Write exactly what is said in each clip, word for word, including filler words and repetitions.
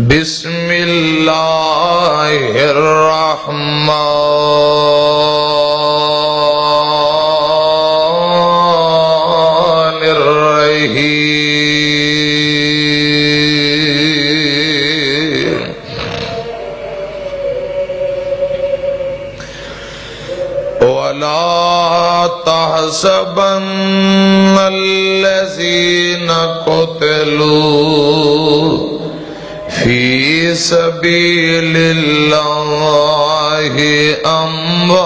بسم اللہ الرحمن الرحیم۔ ولا تحسبن الذين قتلوا في سبيل الله أمواتا،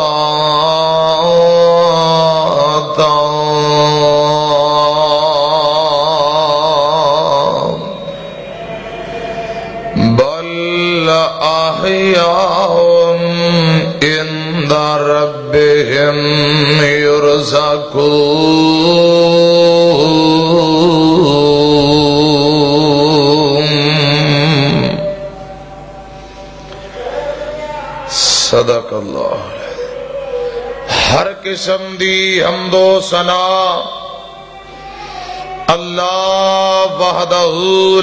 بل أحياء عند ربهم يرزقون۔ صدق اللہ۔ ہر قسم دی حمد و ثنا اللہ وحدہ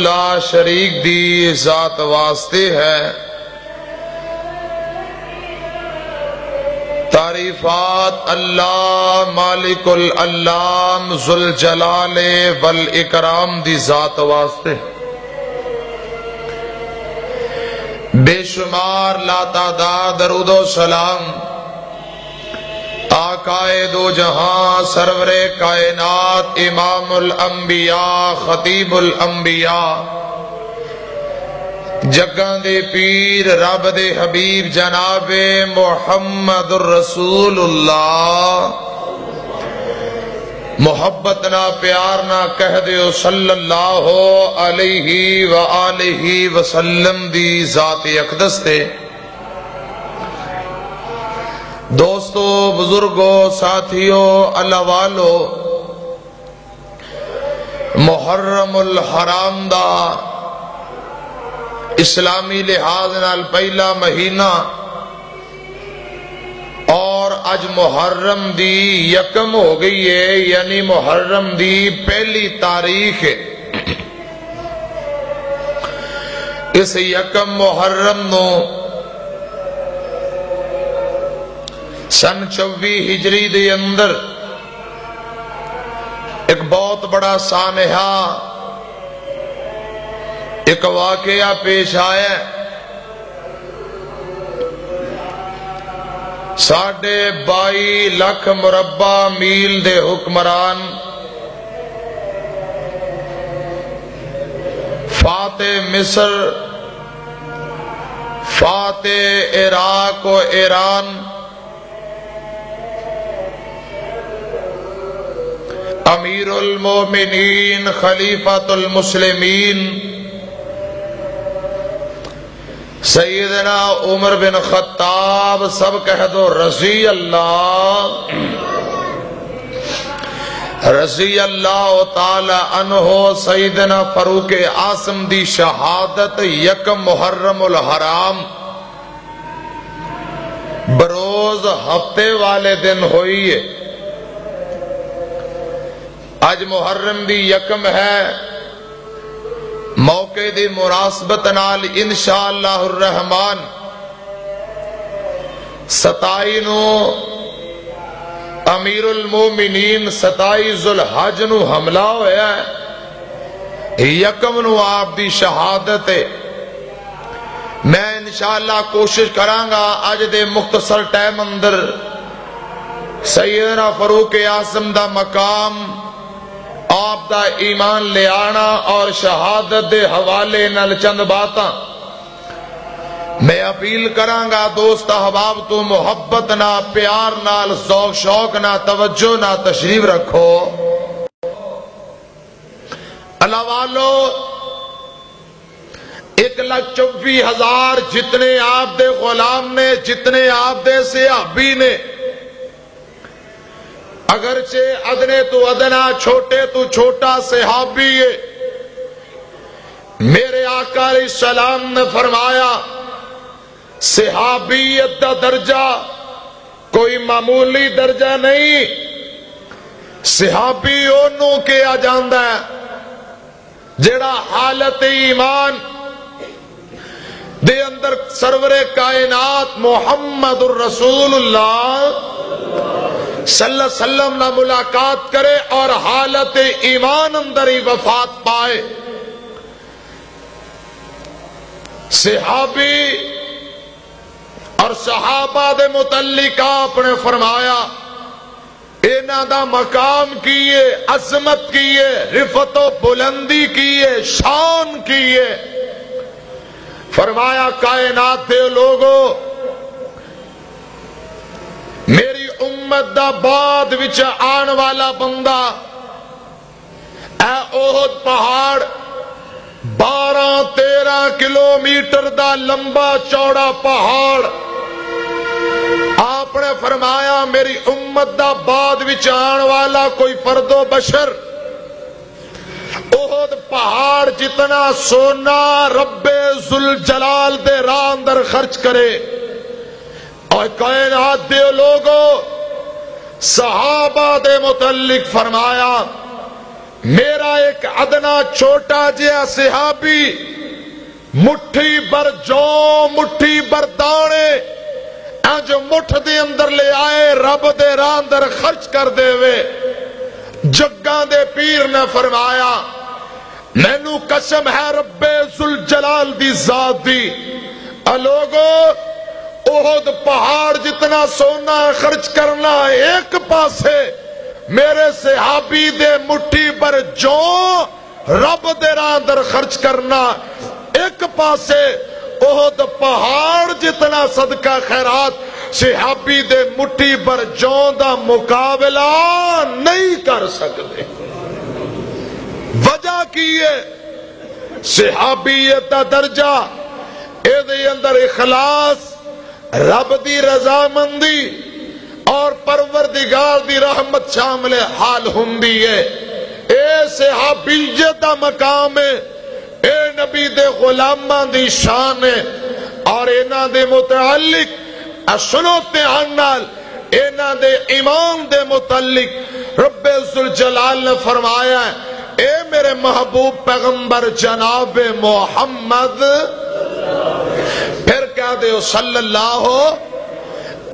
لا شریک دی ذات واسطے ہے۔ تعریفات اللہ مالک الانعام ذوالجلال والاکرام دی ذات واسطے۔ بے شمار لا تعداد درود و سلام آقائے دو جہاں، سرور کائنات، امام الانبیاء، خطیب الانبیاء، جگاں دے پیر، رب دے حبیب جناب محمد رسول اللہ، محبت نہ پیار نہ کہہ دیو صلی اللہ علیہ وآلہ وسلم دی ذات اقدس تے۔ دوستو، بزرگو، ساتھیو، اللہ والو، محرم الحرام دا اسلامی لحاظ نال پہلا مہینہ اور اج محرم دی یکم ہو گئی ہے، یعنی محرم دی پہلی تاریخ ہے۔ اس یکم محرم نو سن چوبی ہجری دے اندر ایک بہت بڑا سانحہ، ایک واقعہ پیش آیا ہے۔ ساڑھے بائی لکھ مربع میل دے حکمران، فاتح مصر، فاتح عراق و ایران، امیر المومنین، خلیفۃ المسلمین، سیدنا عمر بن خطاب، سب کہہ دو رضی اللہ، رضی اللہ تعالی عنہ، سیدنا فاروق اعظم دی شہادت یک محرم الحرام بروز ہفتے والے دن ہوئی ہے۔ اج محرم دی یکم ہے، موقع دی مناسبت نال انشاءاللہ الرحمن ستائی نو امیر المومنین، ستائی ذوالحج نو حملہ ہویا ہے، یکم نو آپ دی شہادت ہے۔ میں انشاءاللہ کوشش کراں گا اج دے مختصر ٹائم اندر سیدنا فاروق اعظم دا مقام، آپ دا ایمان لے آنا اور شہادت دے حوالے نال چند باتاں میں اپیل کراں گا دوست احباب تو محبت نہ، پیار نال، ذوق شوق نہ، توجہ نہ تشریف رکھو۔ اللہ والو، ایک لاکھ چوبیس ہزار جتنے آپ دے غلام نے، جتنے آپ دے صحابی نے، اگرچہ ادنے تو ادنا، چھوٹے تو چھوٹا صحابی ہے، میرے آقا علیہ السلام نے فرمایا، صحابیت دا درجہ کوئی معمولی درجہ نہیں۔ صحابی اونوں کہا جاندا ہے جڑا حالت ایمان دے اندر سرور کائنات محمد الرسول اللہ صلی اللہ علیہ وسلم نہ ملاقات کرے اور حالت ایمان اندر ہی وفات پائے۔ صحابی اور صحابہ دے متعلق آپ نے فرمایا، انہاں دا مقام کی ہے، عظمت کی ہے، رفعت و بلندی کی ہے، شان کی ہے۔ فرمایا، کائنات دے لوگو، میری امت دا بعد وچ آن والا بندہ، اے احد پہاڑ، بارہ تیرہ کلومیٹر دا لمبا چوڑا پہاڑ۔ آپ نے فرمایا، میری امت دا بعد وچ آن والا کوئی فرد و بشر احد پہاڑ جتنا سونا رب ذوالجلال دے راہ اندر خرچ کرے۔ اور کائنات دے لوگو، صحابہ دے متعلق فرمایا، میرا ایک ادنا چھوٹا جہا صحابی مٹھی بر جو، مٹھی بر دانے، انج مٹھ دے اندر لے آئے، رب دے راہ اندر خرچ کر دے وے۔ جگاں دے پیر نے فرمایا، مینوں قسم ہے رب ذوالجلال دی ذات دی، اے لوگو، احد پہاڑ جتنا سونا خرچ کرنا ایک پاسے، میرے صحابی دے مٹھی پر جو رب دے راہ اندر خرچ کرنا ایک پاسے، احد پہاڑ جتنا صدقہ خیرات صحابی دے مٹھی پر جو دا مقابلہ نہیں کر سکتے۔ وجہ کی ہے؟ صحابیت دا درجہ، اے دے اندر اخلاص، رب دی رضامندی اور پروردگار دی رحمت شامل حال ہوندی ہے۔ اے صحابیت دا مقام ہے، اے نبی دے غلاماں دی شان ہے، اور انہاں دے متعلق، اے سنو دھیان نال، انہاں دے ایمان دے متعلق رب ذوالجلال نے فرمایا ہے، اے میرے محبوب پیغمبر جناب محمد، پھر کہہ دیو صلی اللہ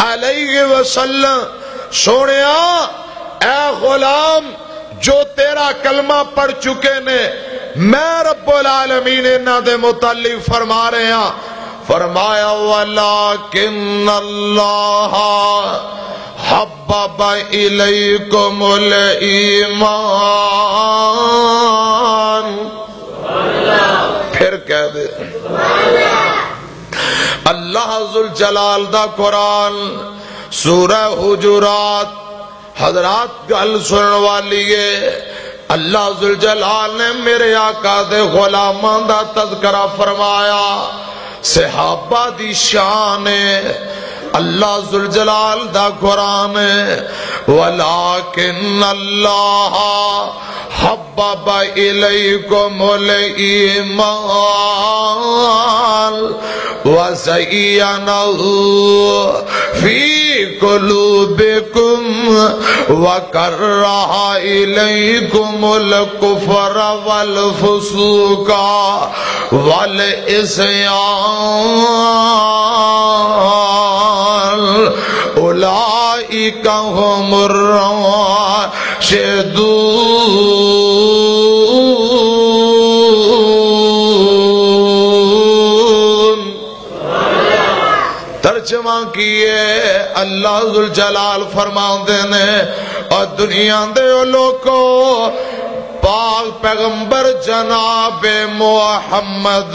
علیہ وسلم، سونیا، اے غلام، جو تیرا کلمہ پڑھ چکے نے، میں رب العالمین انہاں دے متعلق فرما رہے ہاں، فرمایا، وَلَٰكِنَّ اللَّهَ حَبَّبَ إِلَيْكُمُ الْإِيمَانَ۔ پھر کہہ دے، اللہ ذوالجلال دا قرآن، سورہ حجرات، حضرات، گل سنن والی ہے۔ اللہ ذوالجلال نے میرے آقا دے غلاماں دا تذکرہ فرمایا، صحابہ دی شان ہے۔ اللہ ذوالجلال دا قرآن ہے، وَلَٰكِنَّ اللَّهَ حَبَّبَ إِلَيْكُمُ الْإِيمَانَ وَزَيَّنَهُ فِي قُلُوبِكُمْ وَكَرَّهَ إِلَيْكُمُ الْكُفْرَ وَالْفُسُوقَ وَالْعِصْيَانَ أُولَٰئِكَ هُمُ الرَّاشِدُونَ۔ ترجمہ کیے، اللہ ذوالجلال فرماندے نے، اور دنیا دے او لوکو، پاک پیغمبر جناب محمد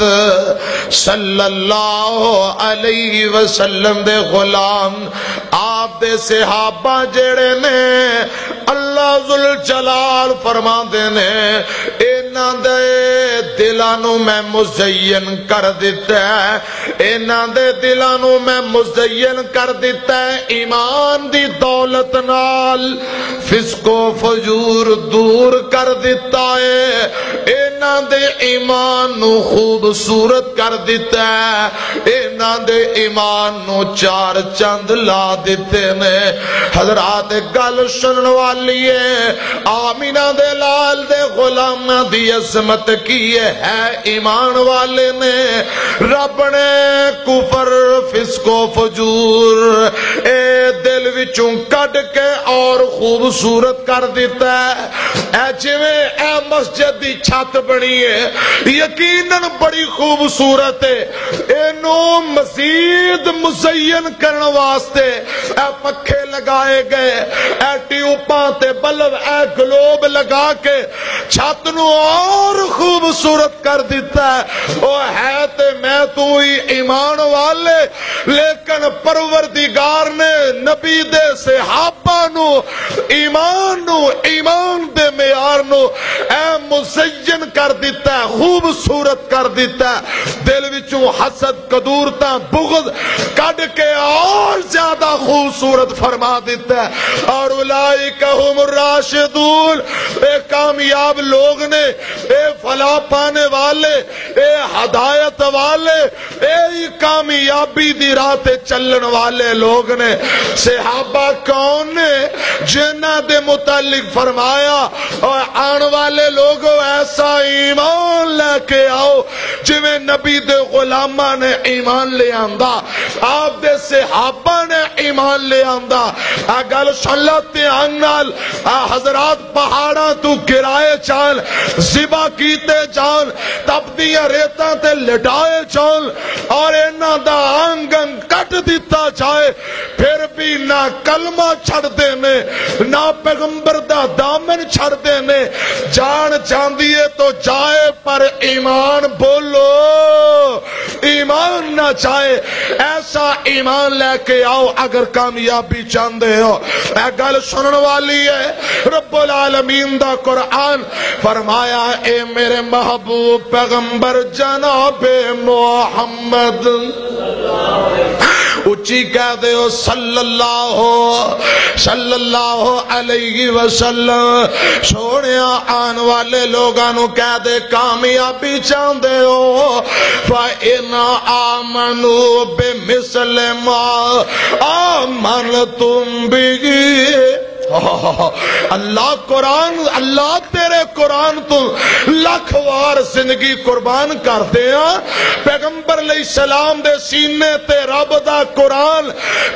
صلی اللہ علیہ وسلم دے غلام، آپ دے صحابہ جڑے نے، اللہ ذوالجلال فرماندے نے، انہاں دے دلاں نوں میں مزین کر دتا ہے، انہاں دے دلاں نوں میں مزین کر دتا ہے ایمان دی دولت نال، فسق و فجور دور کر دتا ہے، انہاں دے ایمان نوں خوبصورت کر دتا ہے، انہاں دے ایمان نوں چار چند لا دتے نے۔ حضرات، گل سنن والی ہے، آمینہ دے لال دے غلاماں دی عظمت کی یہ ہے ایمان والے نے، رب نے کفر، فسق و فجور اے دل وچوں کڈ کے اور خوبصورت کر دیتا ہے۔ اے جویں اے مسجد دی چھت بنی ہے، یقیناً بڑی خوبصورت ہے۔ اینوں مزید مزین کرن واسطے اے پکھے لگائے گئے، اے ٹیوباں تے بلب، اے گلوب لگا کے چھت نو اور خوبصورت کر دیتا ہے۔ او ہے تے میں تو ہی ایمان والے، لیکن پروردگار نے نبی دے صحابہ نو، ایمان نو، ایمان دے معیار نو اے مزین کر دیتا ہے، خوبصورت کر دیتا ہے۔ دل وچوں حسد، قدورتاں، بغض کڈ کے اور زیادہ خوبصورت فرما دیتا ہے۔ اور اولئک هم الراشدون، اے کامیاب لوگ نے، اے فلاح پانے والے، اے ہدایت والے، اے ہی کامیابی دی راہ تے چلن والے لوگ نے۔ صحابہ کون نے؟ جنہاں دے متعلق فرمایا، اور آن والے لوگو، ایسا ایمان لے کے آؤ جویں نبی دے غلاماں نے ایمان لے آندا، آپ دے صحابہ نے ایمان لے آندا۔ آ گل سن لو دھیان نال، آ حضرات پہاڑاں تو گرائے جان، ذبح کیتے جان، تپدیاں ریتاں تے لٹائے جان، اور انہاں دا انگ انگ کٹ دتا جائے، پھر بھی نہ کلمہ چھڑدے نے، نہ پیغمبر دا دامن چھڑدے نے۔ جان جاندی ہے تو جائے، پر ایمان بولو، ایمان نہ جائے۔ ایسا ایمان لے کے آؤ اگر کامیابی چاہندے ہو۔ اے گل سنن والی ہے۔ رب العالمین دا قرآن فرمایا، اے میرے محبوب پیغمبر جناب محمد، اچی کہہ دیو، صلی اللہ، صلی اللہ علیہ وسلم۔ سوہنیا، آن والے لوگاں نو کہہ دے، کامیابی چاہندے ہو؟ فَإِنْ آمَنُوا بِمِثْلِ مَا آمَنْتُمْ بِهِ۔ اللہ قرآن، اللہ تیرے قرآن تو لکھ وار زندگی قربان کر دے ہاں۔ پیغمبر علیہ السلام دے سینے تے رب دا قرآن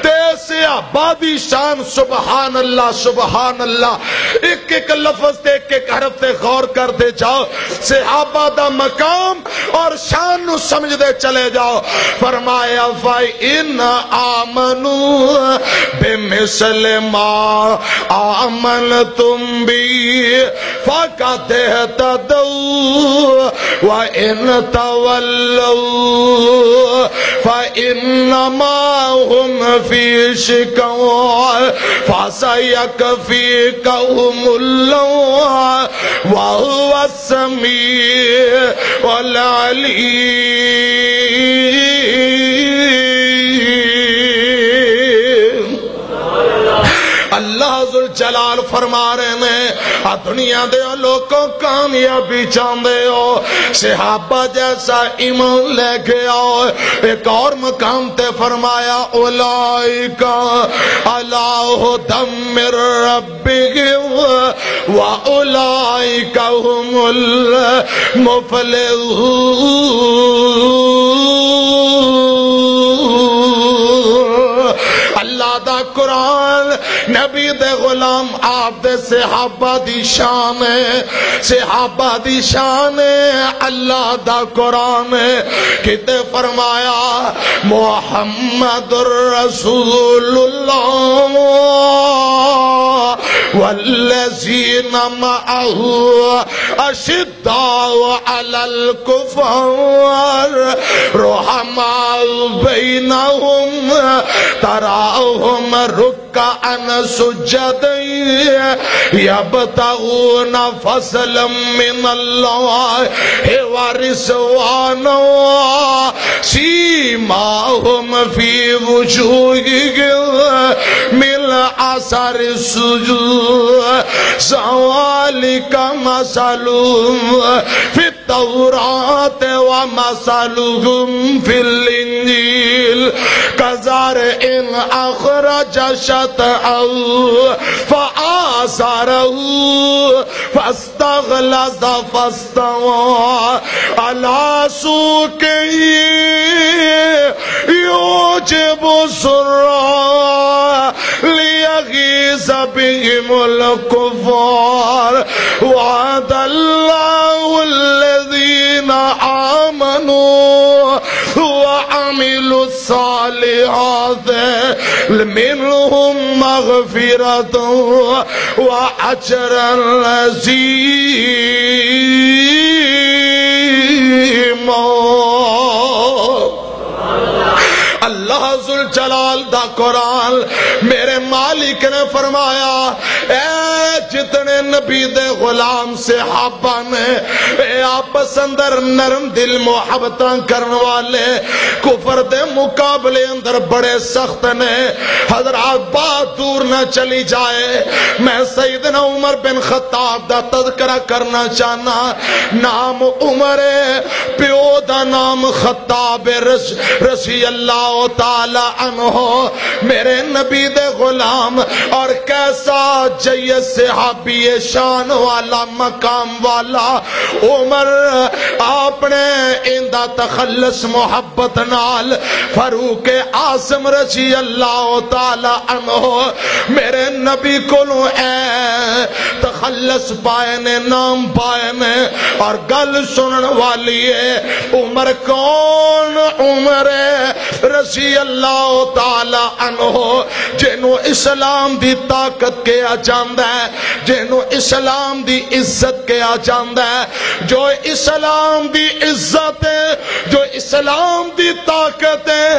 تے صحابہ دی شان، سبحان اللہ، سبحان اللہ۔ ایک ایک لفظ تے ایک ایک حرف تے غور کر دے جاؤ۔ صحابہ دا مقام اور شان نو سمجھ دے چلے جاؤ۔ فرمایا، فَإِنْ آمَنُوا بِمِثْلِ مَا آمَنْتُمْ بِهِ فَقَدِ اهْتَدَوْا وَإِنْ تَوَلَّوْا فَإِنَّمَا هُمْ فِي شِقَاقٍ فَسَيَكْفِيكَهُمُ اللَّهُ وَهُوَ السَّمِيعُ الْعَلِيمُ۔ اللہ ذوالجلال فرما رہے نے، آ دنیا دے لوکوں، کامیابی چاہندے ہو؟ صحابہ جیسا ایمان لے کے آؤ۔ ایک اور مقام تے فرمایا، اولئک علی ھدی من ربہم و اولئک ھم المفلحون۔ اللہ دا قرآن، نبی دے غلام، آپ دے صحابہ دی شان ہے، صحابہ دی شان ہے، اللہ دا قرآن ہے۔ کتے فرمایا، محمد رسول اللہ والذین معہ اشداء علی الکفار رحماء بینہم تراہم رکعا سجدا یبتغون فضلا من اللہ ورضوانا سیماہم فی وجوہہم من اثر السجود ذلك مثلهم في التوراة ومثلهم في الإنجيل كزرع أخرج شطأه فآزره فاستغلظ فاستوى على سوقه يعجب الزراع ليغيظ بهم الكفار. وعد الله الذين آمنوا وعملوا الصالحات منهم مغفرة وأجرا عظيما. اللہ ذوالجلال دا قرآن، میرے مالک نے فرمایا، اے جتنے نبی دے غلام صحابہ نے، اے آپس اندر نرم دل محبتاں کرن والے، کفر دے مقابلے اندر بڑے سخت نے۔ حضرات، بات دور نہ چلی جائے، میں سیدنا عمر بن خطاب دا تذکرہ کرنا چاہنا۔ نام عمر ہے، پیو دا نام خطاب رض-، رضی اللہ تعالی عنہ۔ میرے نبی دے غلام، اور کیسا جیت صحابی شان والا، مقام والا عمر، آپ نے ایندا تخلص محبت نال فاروق اعظم رضی اللہ تعالی عنہ میرے نبی کولوں اے تخلص پائے نے، نام پائے نے۔ اور گل سنن والی ہے، عمر کون؟ عمر رضی اللہ تعالی عنہ، جنوں اسلام دی طاقت کہا جاندا ہے، جنوں اسلام دی عزت کہا جاندا ہے، جو اسلام دی عزت ہے، جو اسلام دی طاقت ہے،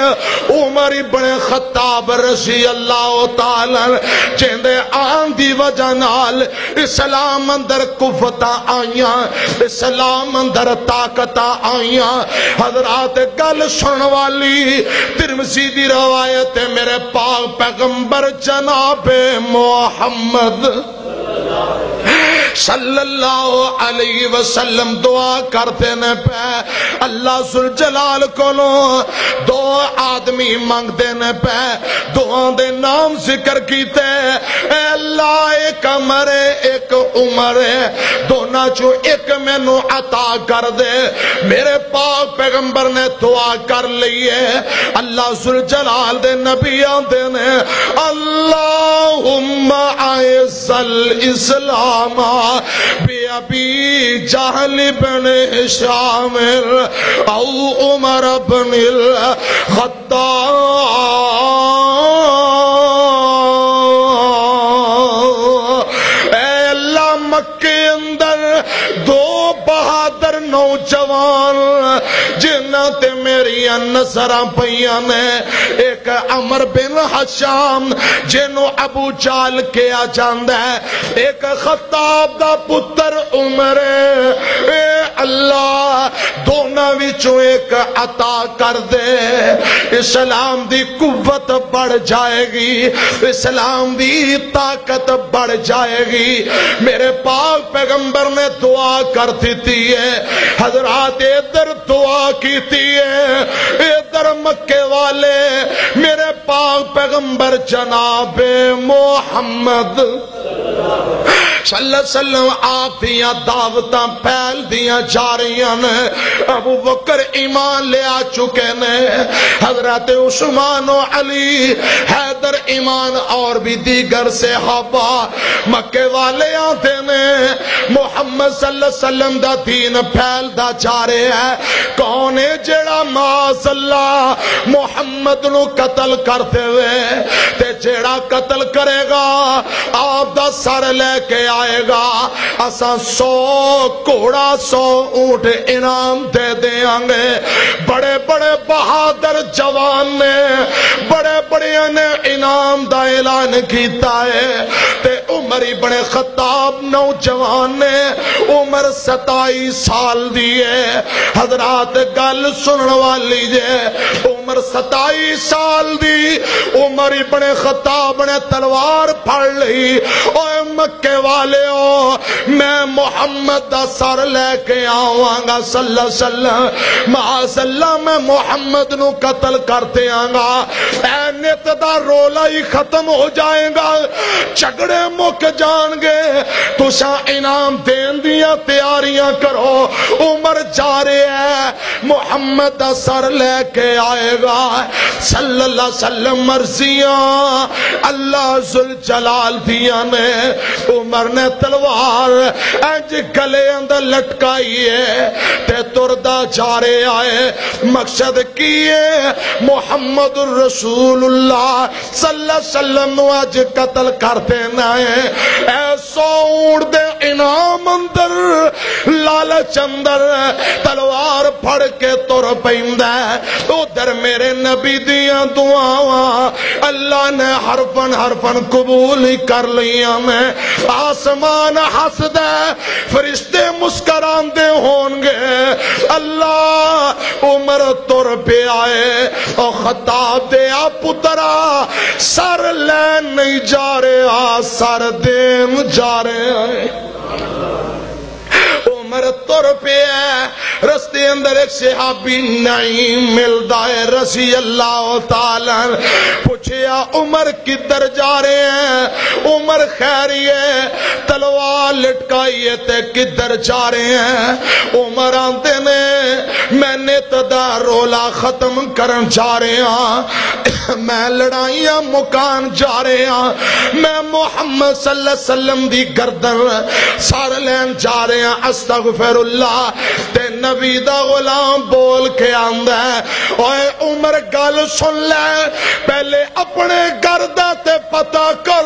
عمر ابن خطاب رضی اللہ تعالی عنہ، جیندے آن دی وجہ نال اسلام اندر قوتاں آئیاں، اسلام اندر طاقتاں آئیاں۔ حضرات، گل سنن والی، ترمذی دی روایت ہے، میرے پاک پیغمبر جناب محمد صلی اللہ علیہ وسلم دعا کردے نے پے، اللہ ذوالجلال کولوں دو آدمی منگدے نے پے، دعا دے نام ذکر کیتے، اے اللہ، ایک عمر ہے، ایک عمر ہے، دوناں چوں ایک مینوں عطا کر دے۔ میرے پاک پیغمبر نے دعا کر لئی ہے۔ اللہ ذوالجلال دے نبی آندے نے، اللہم اعز الاسلام بابی جہل بن ہشام او عمر بن الخطاب۔ اے اللہ، مکے اندر دو بہادر نوجوان جنہاں تے میریاں نظراں پئیاں نے، ایک عمر بن ہشام جنوں ابو جہل کہیا جاندا ہے، ایک خطاب دا پتر عمر۔ اے اللہ، دوناں وچوں ایک عطا کر دے۔ اسلام دی قوت بڑھ جائے گی، اسلام دی طاقت بڑھ جائے گی۔ میرے پاک پیغمبر نے دعا کر دیتی ہے۔ حضرات، ادھر دعا کیتی ہے، ادھر مکے والے، میرے پاک پیغمبر جناب محمد صلی اللہ علیہ وسلم آپ دیاں دعوتاں پھیل دیاں جا رہیاں نے۔ ابو بکر ایمان لے آ چکے نے، حضرت عثمان و علی، حیدر، ایمان اور بھی دیگر صحابہ، مکے والے آتے نے، محمد صلی اللہ علیہ وسلم دا دین پھیلدا جا رہا ہے۔ کون ہے جڑا معاذ اللہ محمد نو قتل کر دے؟ تے جڑا قتل کرے گا، آپ دا سر لے کے آئے گا، اساں سو گھوڑا، سو اونٹ انعام دے دیاں گے۔ بڑے بڑے بہادر جوان نے، بڑے بڑے نے نام دا اعلان کیتا ہے۔ تے عمر ابن خطاب نوجوان نے، عمر ستائی سال دی ہے۔ حضرات، گل سنن والی جے، عمر ستائی سال دی، عمر ابن خطاب نے تلوار پھڑ لئی۔ اوے مکے والےو، میں محمد دا سر لے کے آواں گا صلی اللہ علیہ وسلم۔ معاذ اللہ، میں محمد نو قتل کر دیاں گا۔ اے نت دا رولا ہی ختم ہو جائے گا، جھگڑے مک جان گے۔ تساں انعام دین دیاں تیاریاں کرو۔ عمر جا رہے ہیں، محمد دا سر لے کے آئے گا صلی اللہ علیہ وسلم۔ مرضیاں اللہ ذوالجلال دیاں نے۔ عمر نے تلوار انج گلے اندر لٹکائی ہے تے تردا جا رہا ہے۔ مقصد کی ہے؟ محمد رسول اللہ صلی اللہ علیہ وسلم نو اج قتل کر دینا ہے۔ اے سو اونٹ دے انعام اندر، لالچ اندر تلوار پھڑ کے تر پیندا ہے۔ ادھر میرے نبی دیاں دعاواں اللہ نے حرفن حرفن قبول ہی کر لیاں نے۔ آسمان ہسدا ہے، فرشتے مسکراندے ہون گے۔ اللہ، عمر تر پیا ہے۔ او خطاب دے آ پترا، سر لین نہیں جا رہا، سر دین جا رہا ہے۔ عمر تر پیا ہے۔ رستے اندر ایک صحابی نعیم ملدا ہے رضی اللہ تعالی عنہ۔ پوچھیا، عمر کدھر جا رہے ہیں؟ عمر خیر ہی ہے؟ تلوار لٹکائی ہے تے کدھر جا رہے ہیں؟ عمر آندے نے، میں نت دا رولا ختم کرن جا رہے ہاں، میں لڑائیاں مکان جا رہے ہاں، میں محمد صلی اللہ علیہ وسلم دی گردن سر لین جا رہے ہاں۔ استغفر اللہ۔ تے نبی دا غلام بول کے آندا ہے، اوئے عمر، گل سن لے، پہلے اپنے گھر دا تے پتہ کر،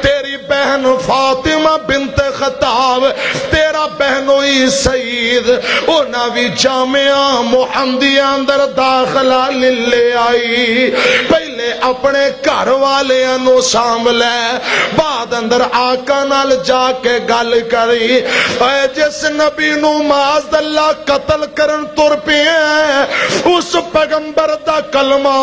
تیری بہن فاطمہ بنت خطاب، تیرا بہنوئی سعید، انہاں وی جامعہ محمدیہ اندر داخلہ لے آئی۔ پہلے اپنے گھر والیاں نو سانبھ لے، بعد اندر آقا نال جا کے گل کری۔ اے جس نبی نو معاذ اللہ قتل کرن تر پئے ہیں، اس پیغمبر دا کلمہ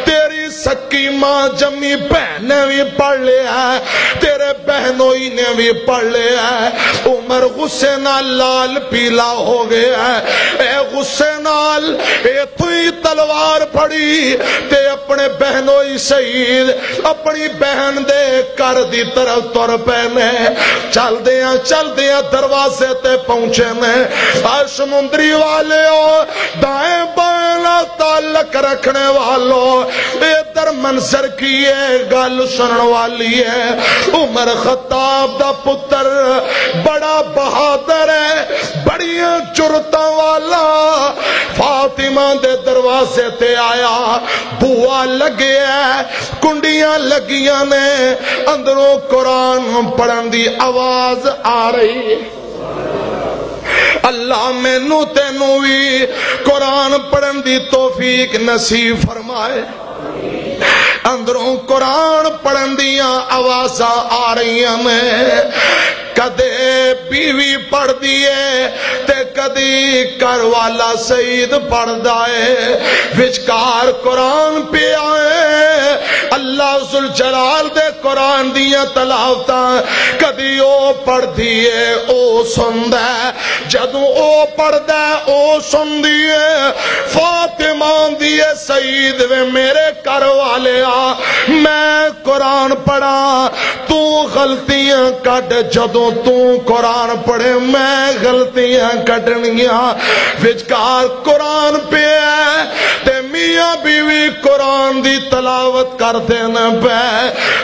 تیری سکی ماں جمی بہن نے بھی پڑھ لیا ہے، تیرے بہنوئی نے بھی پڑھ لیا ہے۔ عمر غصے نال لال پیلا ہو گیا ہے۔ اے غصے نال اتھوں ہی تلوار پھڑی تے اپنے بہنوئی سعید، اپنی بہن دے گھر دی طرف تر پے نے۔ چلدیاں چلدیاں دروازے تے پہنچے نے۔ اے سمندری والےو، دائیں بائیں نال تعلق رکھنے والو، ادھر منظر کی ہے، گل سنن والی ہے۔ عمر خطاب دا پتر بڑا بہادر ہے، بڑیاں جرتاں والا، فاطمہ دے دروازے تے آیا، بوا لگے ہے، کنڈیاں لگیاں نے، اندروں قرآن پڑھن دی آواز آ رہی ہے۔ اللہ مینوں تینوں وی قرآن پڑھن دی توفیق نصیب فرمائے۔ اندروں قرآن پڑھن دیاں آوازاں آ رہیاں نے، کدے بیوی پڑھدی ہے تے کدی گھر والا سعید پڑھدا ہے، وچکار قرآن پیا ہے۔ اللہ ذوالجلال دے قرآن دیاں تلاوتاں کدی او پڑھدی ہے، او سندا ہے۔ جدوں او پڑھدا ہے، او سندی ہے۔ فاطمہ آندی ہے، سعید وے میرے گھر والے آ، میں قرآن پڑھاں، تو غلطیاں کڈ۔ جدوں تو قرآن پڑھے، میں غلطیاں کڈنیاں۔ وچکار قرآن پیا ہے تے میاں بیوی قرآن دی تلاوت کردے نے پے۔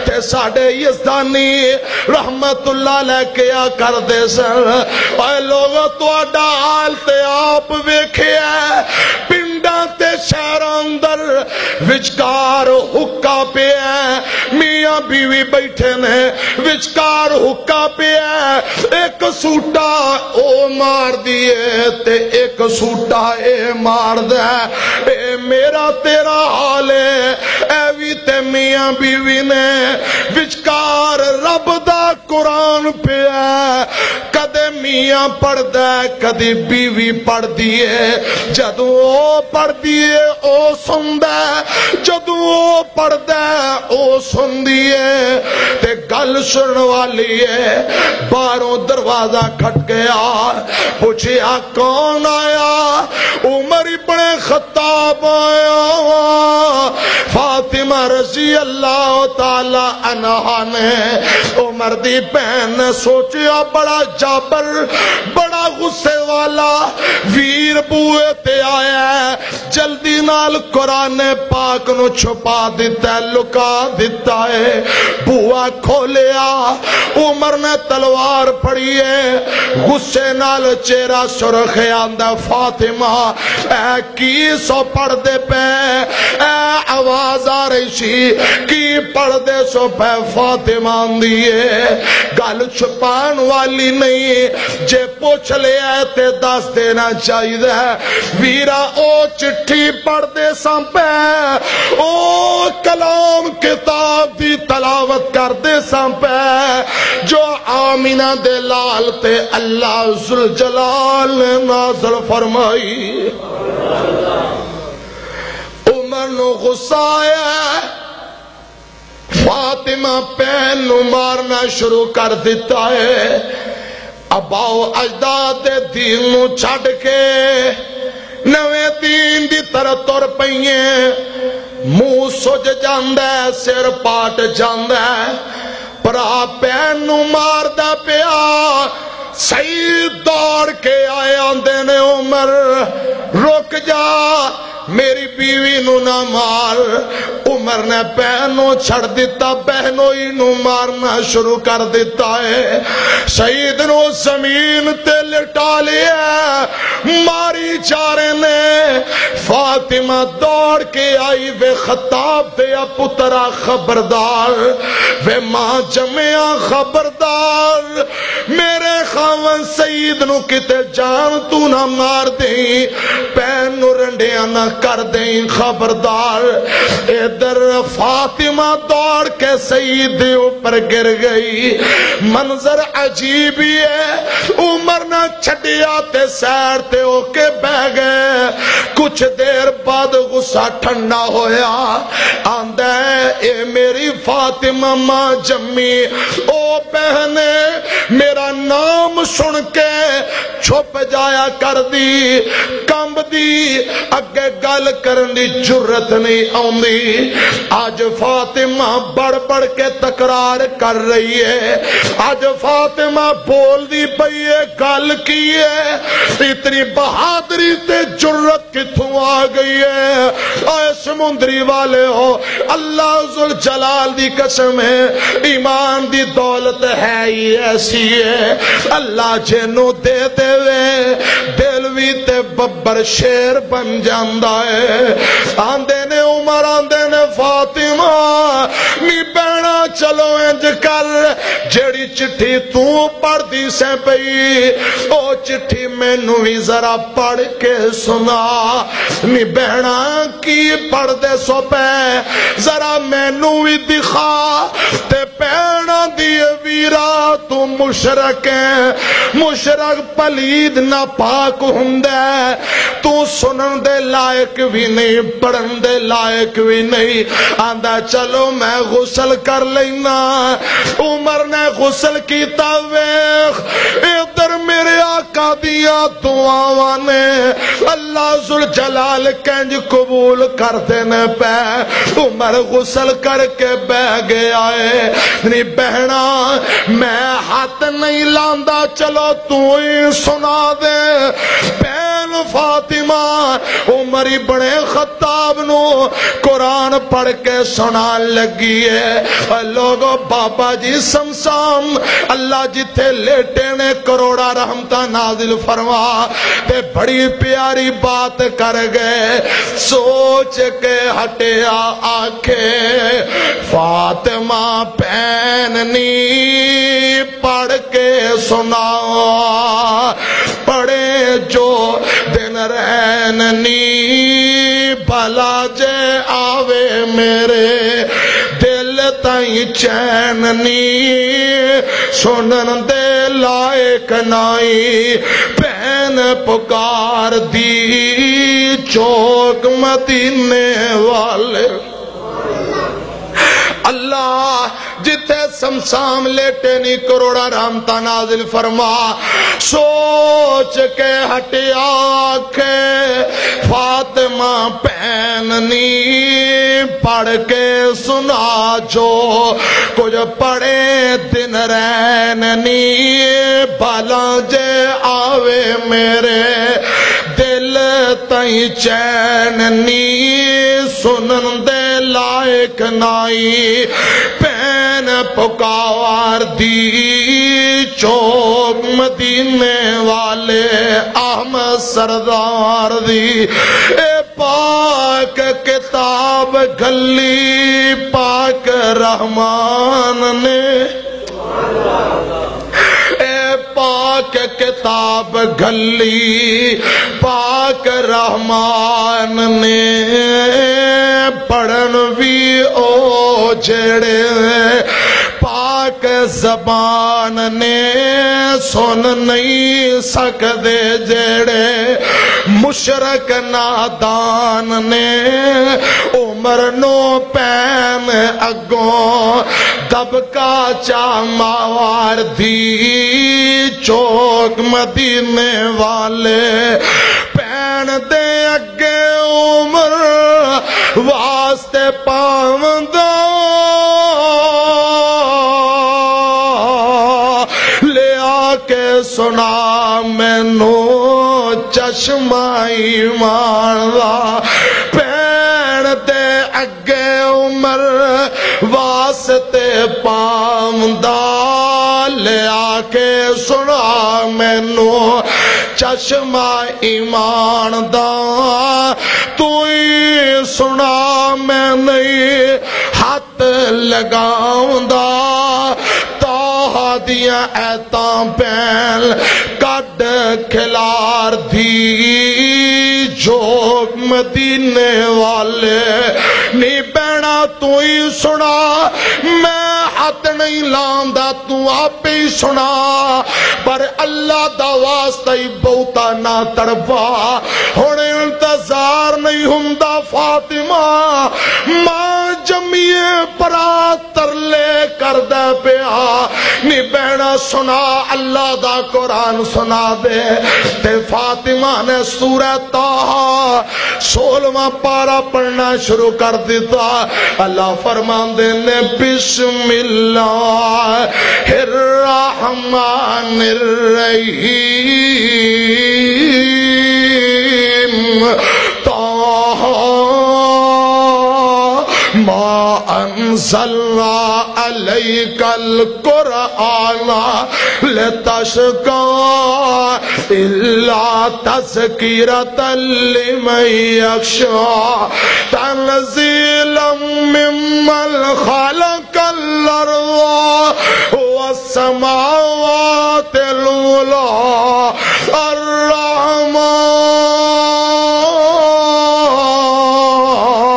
تے ساڈے یزدانی رحمت اللہ علیہ کیا کردے سن۔ اے لوگو، تہاڈا حال تے آپ ویکھیا، پنڈاں تے شہراں اندر وچکار حقہ پیا ہے، میاں بیوی بیٹھے نے، وچکار حقہ پیا ہے، ایک سوٹا او مار دیے تے ایک سوٹا اے مار دے۔ اے میرا تیرا حال ہے، اے وی تے میاں بیوی نے وچکار رب دا قرآن پیا۔ کدے میاں پڑھدا ہے، کدی بیوی پڑھدی ہے۔ جدوں او پڑھدی ہے، او سندا ہے۔ جدوں او پڑھدا ہے، او سندی ہے۔ تے گل سنن والی ہے۔ باہروں دروازہ کھٹکیا، پوچھیا، "کون آیا؟" عمر ابن خطاب آیا۔ فاطمہ رضی اللہ تعالی عنہا نے، عمر دی بہن نے سوچیا، بڑا جابر، بڑا غصے والا ویر بوئے تے آیا ہے، جلدی نال قرآن پاک نو چھپا دتا ہے، لکا دتا ہے۔ بوا کھولیا، عمر نے تلوار پھڑی ہے، غصے نال چہرہ سرخ ہے، آندا، "فاطمہ، اے کی سو پڑھ دے پے؟" اے آواز آ رہی سی، "کی پڑھ دے سو پے؟" فاطمہ آندی ہے، گل چھپان والی نہیں، جے پوچھ لیا تے دس دینا چاہیدا ہے۔ ویرا، او چٹھی پڑھ دے ساں پے، او کلام کتاب دی تلاوت کر دے ساں پے، جو آمینہ دے لال تے اللہ ذوالجلال نے نازل فرمائی۔ عمر نو غصہ آیا، فاطمہ پین نو مارنا شروع کر دتا ہے۔ آباؤ اجداد دے دین نو چھڈ کے نویں دین دی طرف تر پئی ہے۔ منہ سج جاندا ہے، سر پاٹ جاندا ہے۔ بھرا پین نو ماردا پیا۔ سعید دوڑ کے آئے، آندے نے، "عمر، رک جا، میری بیوی نو نہ مار۔" عمر نے پین نو چھڑ دتا، بہنوئی نو مارنا شروع کر دتا ہے۔ سعید نو زمین تے لٹا لیا، ماری جا رہے نے۔ فاطمہ دوڑ کے آئی، "وے خطاب دیا پترا، خبردار، وے ماں جمیا، خبردار، میرے خاون سعید نو کتے جان تو نہ مار دیں، پین نو رنڈیاں نہ کر دیں، خبردار۔" ادھر فاطمہ دوڑ کے سعید دے اوپر گر گئی۔ منظر عجیب ہی ہے۔ عمر نہ چھڈیا تے سیر تے ہو کے بہ گئے۔ کچھ دیر بعد غصہ ٹھنڈا ہویا۔ آندا ہے، "اے میری فاطمہ ماں جمی، او بہن میرا نام سن کے چھپ جایا کر دی، کمب دی، اگے گل کرن دی جرت نہیں آندی۔" اج فاطمہ بڑ بڑ کے تکرار کر رہی ہے۔ اج فاطمہ بول دی پئی ہے، گل کی ہے؟ اتنی بہادری تے جرت کتھوں آ گئی ہے؟ اے سمندری والے ہو، اللہ ذوالجلال دی قسم ہے، ایمان دی دولت ہے ہی ایسی ہے۔ اللہ جنوں دے دے وے، دل وی تے ببر شیر بن جاندا ہے۔ آندے نے عمر، آندے نے فاطمہ، نی بہنا چلو انج کر، جیڑی چٹھی تو پڑھدی سیں پئی، او چٹھی مینوں وی ذرا پڑھ کے سنا۔ نی بہنا کی پڑھ دے سو پے، ذرا مینوں وی دکھا۔ تے بہنا دی ویرا، تو مشرک ہے، مشرک پلید ناپاک ہوندا ہے، تو سنن دے لائق وی نہیں، پڑھن دے لائق وی نہیں۔ آندا، "چلو میں غسل کر لینا۔" عمر نے غسل کیتا، ویکھ ادھر میرے آقا دیاں دعاواں نے، اللہ ذوالجلال کنج قبول کردے نے پے۔ عمر غسل کر کے بہ گیا ہے۔ نی بہنا، میں ہاتھ نہیں لاندا، چلو تو ہی سنا دے۔ بہن فاطمہ عمر ابن خطاب نو قرآن پڑھ کے سنان لگی ہے۔ اے لوگو، بابا جی سمسام، اللہ جتھے لیٹے نے، کروڑا رحمتاں نازل فرما۔ تے بڑی پیاری بات کر گئے، سوچ کے ہٹیا آکھے، "فاطمہ بہن نی پڑھ کے سناؤ، پڑھے جو دن رہن نی۔" الا جے آوے میرے دل تائیں چین نی، سنن دے لائق نائی، بہن پکار دی چوک مدینے والے۔ اللہ جتھے سمسام لیٹے نی، کروڑا رحمتاں نازل فرما۔ سوچ کے ہٹیا آکھے، فاطمہ پین نی، پڑھ کے سنا جو کچھ پڑھے دن رین نی، بھلا جے آوے میرے دل تائیں چین نی، سنن دے لائق نائی، پین پکار دی چوک مدینے والے۔ احمد سردار دی اے پاک کتاب گلی پاک رحمان نے، اے پاک کتاب گلی پاک رحمان نے، پڑھن وی او جڑے پاک زبان نے، سن نہیں سکدے جڑے مشرک نادان نے۔ عمر نو پین اگوں دبکا چا ماوار دی چوک مدینے والے، پین دے اگے عمر واسطے پاوندا۔ لیا کے سنا مینوں چشمہ ایمان دا، پین دے اگے عمر واسطے پاوندا۔ لیا کے سنا مینوں چشمہ ایمان دا، تو ہی سنا میں نہیں ہاتھ لگاوندا۔ طٰہٰ دیاں ایتاں پین کڈ کھلار دی جو مدینے والے۔ نی بہنا تو ہی سنا، میں ہاتھ نہیں لاندا، تو آپ ہی سنا۔ پر اللہ دا واسطہ ہی بہتا نہ تڑپا۔ ہن انتظار نہیں ہوندا فاطمہ، ماں جمیے پرا ترلے کردا پیا۔ نی بہنا سنا، اللہ دا قرآن سنا دے۔ تے فاطمہ نے سورہ طٰہٰ سولہواں پارا پڑھنا شروع کر دیتا۔ اللہ فرماندے نے، بسم اللہ الرحمن الرحیم، طٰہٰ ما انزلنا عليك القرآن لتشقى إلا تذكرة لمن يخشى تنزيلا ممن خلق الأرض والسماوات العلى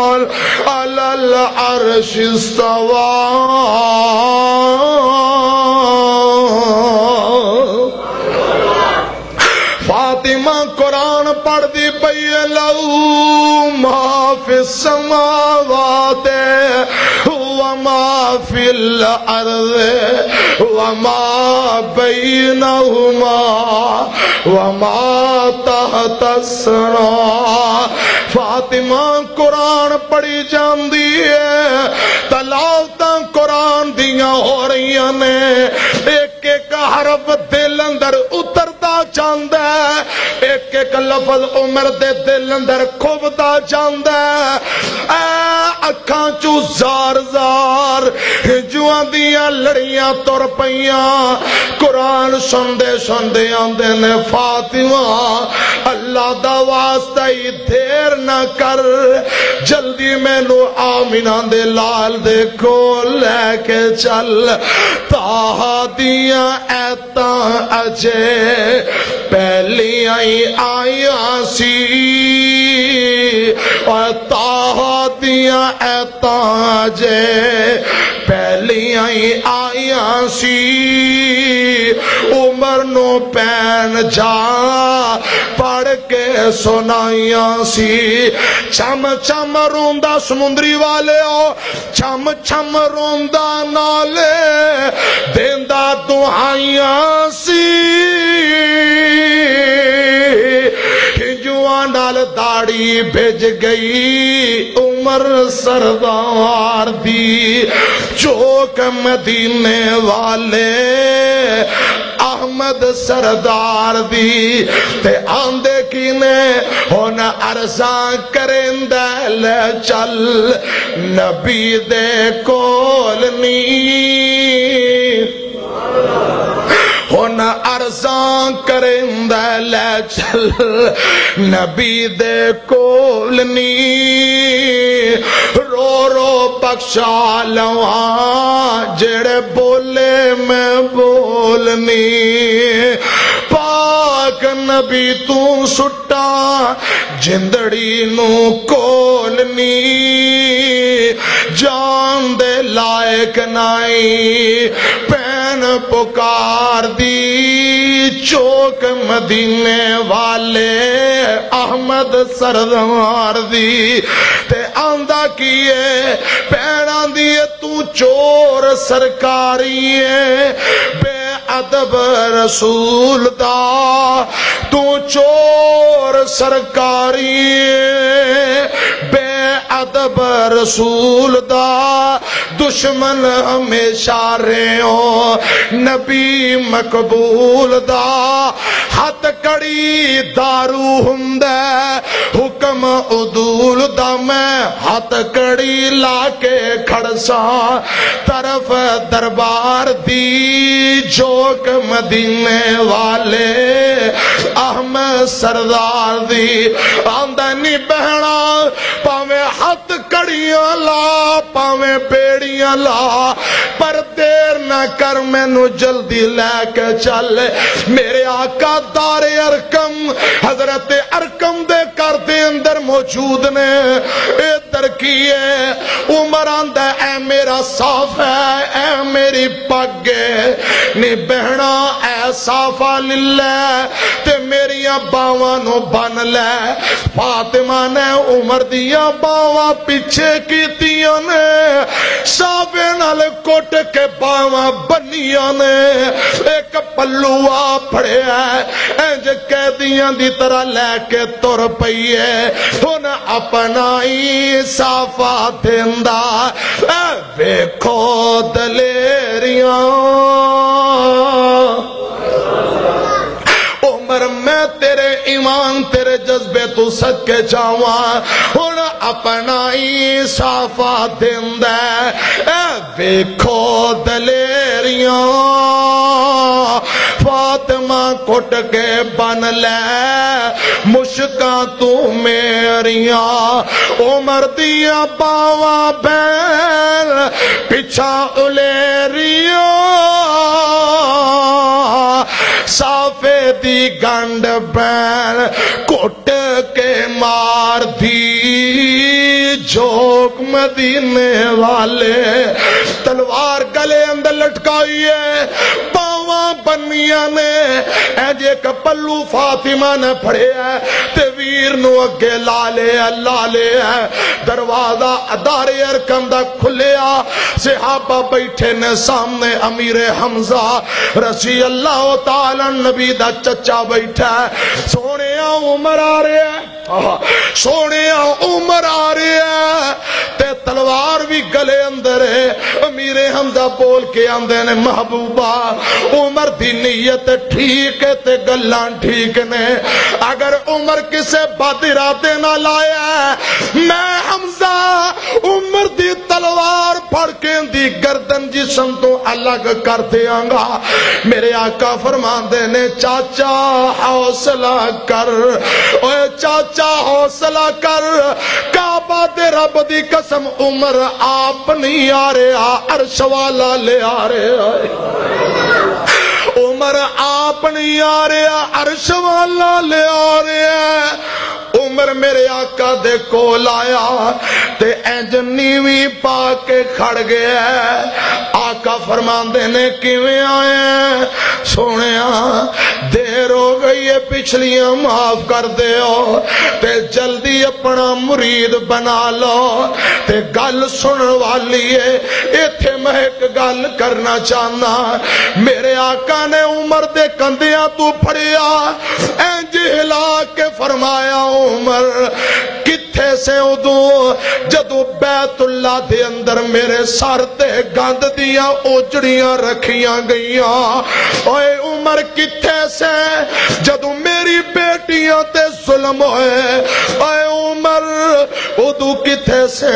الرحمن على العرش استوى۔ فاطمہ قرآن پڑھ دی پئی ہے، لہو ما فی السماوات وما فی الارض وما بینہما وما تحت الثری۔ فاطمہ قرآن پڑھی جاندی ہے، تلاوتاں قرآن دیاں ہو رہیاں نے۔ ایک ایک حرف دل اندر اتردا جاندا ہے، ایک ایک لفظ عمر دے دل اندر کھوبدا جاندا ہے۔ اے اکھاں چوں زار زار ہجواں دیاں لڑیاں تر پئیاں۔ قرآن سندے سندے آندے نے، فاطمہ، اللہ دا واسطہ ہی دیر نہ کر، جلدی مینوں آمنہ دے لال دے کول لے کے چل۔ طٰہٰ دیاں ایتاں اجے پہلیاں ہی آئیاں سی، اور ایتاں جے پہلیاں ہی آئیاں سی، عمر نو پین جا پڑھ کے سنائیاں سی۔ چم چم روندا سمندری والے، او چم چم روندا نالے دیندا دہائیاں سی۔ ہنجواں نال داڑھی بھج گئی عمر سردار دی، چوک مدینے والے احمد سردار دی۔ تے آندے کی نے ہن عرضاں کریندا، لے چل نبی دے کول نی۔ ہن عرضاں کریندا، لے چل نبی دے کول نی۔ رو رو بخشا لواں جڑے بولے میں بولنی۔ پاک نبی توں سٹا جندڑی نوں کولنی، جان دے لائق نائی پین پکار دی، چوک مدینے والے احمد سردار دی۔ تے آندا کی اے، پیناں دی اے، تو چور سرکاری اے، بے ادب رسول دا، تو چور سرکاری اے، بے ادب رسول دا، دشمن ہمیشہ رہیو نبی مقبول دا۔ ہتھ کڑی دارو ہوندا ہے، حکم عدول دا، میں ہتھ کڑی لا کے کھڑساں طرف دربار دی، جوک مدینے والے احمد سردار دی۔ آندا نی بہنا، پاویں ہتھ کڑیاں لا، پاویں بیڑیاں لا، پر دیر نہ کر، مینوں جلدی لے کے چل۔ میرے آقا دار ارقم، حضرت ارقم دے گھر دے اندر موجود نے۔ اے درکی ہے۔ عمر آندا، اے میرا صافا ہے، اے میری پگ ہے۔ نی بہنا، اے صافا لے لے تے میریاں باواں نوں بن لے۔ فاطمہ نے عمر دیاں باواں پیچھے کیتیاں نے، ساوے نال کٹ کے باواں بنیاں نے۔ ایک پلو آ پھڑیا ہے، انج قیدیاں دی طرح لے کے تر پئی ہے۔ ہن اپنا ہی صافا دیندا، اے ویکھو دلیریاں۔ عمر، میں تیرے ایمان، تیرے جذبے تو صدقے جاواں۔ ہن اپنا ہی صافا دیندا ہے، اے ویکھو دلیریاں۔ فاطمہ کٹ کے بن لے مشکاں تو میریاں، عمر دیاں باواں بین پچھاں الیریاں۔ صافے دی گنڈ بین کٹ کے مار دی، جوک مدینے والے۔ تلوار گلے اندر لٹکائی ہے، باواں بنیاں نے، اے جے ایک پلو فاطمہ نے پھڑیا ہے تے ویر نو اگے لا لیا، لا لیا۔ دروازہ دار ارقم دا کھلیا، صحابہ بیٹھے نے سامنے، امیر حمزہ رضی اللہ تعالی عنہ نبی دا چچا بیٹھا ہے۔ سونیا، عمر آ رہا ہے۔ آہا، سونیا، عمر آ رہا ہے تے تلوار بھی گلے اندر ہے۔ امیر حمزہ بول کے آندے نے، محبوبہ، عمر دی نیت ٹھیک ہے تے گلاں ٹھیک نے۔ اگر عمر کسے بد ارادے نال آیا ہے، میں حمزہ عمر دی تلوار پھڑ کے دی گردن جسم تو الگ کر دیاں گا۔ میرے آقا فرماندے نے، چاچا حوصلہ کر، اوے چاچا حوصلہ کر، کعبہ دے رب دی قسم، عمر آپ نہیں آ رہا، عرش والا لے آ رہا ہے۔ عمر آپ نہیں آ رہا، عرش والا لے آ رہا ہے۔ عمر میرے آقا دے کول آیا تے انج نیوی پا کے کھڑ گیا۔ آقا فرماندے نے، "کیویں آئے ہیں؟" "سونیا، دیر ہو گئی ہے، پچھلیاں معاف کر دیو تے جلدی اپنا مرید بنا لو۔" تے گل سنن والی ہے، ایتھے میں ایک گل کرنا چاہنا۔ میرے آقا نے عمر دے کندھیاں تو پھڑیا، انج ہلا کے فرمایا، "عمر، کتھے سے ادوں جدوں بیت اللہ دے اندر میرے سر تے گند دیاں اوجڑیاں رکھیاں گئیاں؟ اوئے عمر، کتھے سے جدوں میری بیٹیاں تے ظلم ہوئے؟ اوئے عمر، ادوں کتھے سے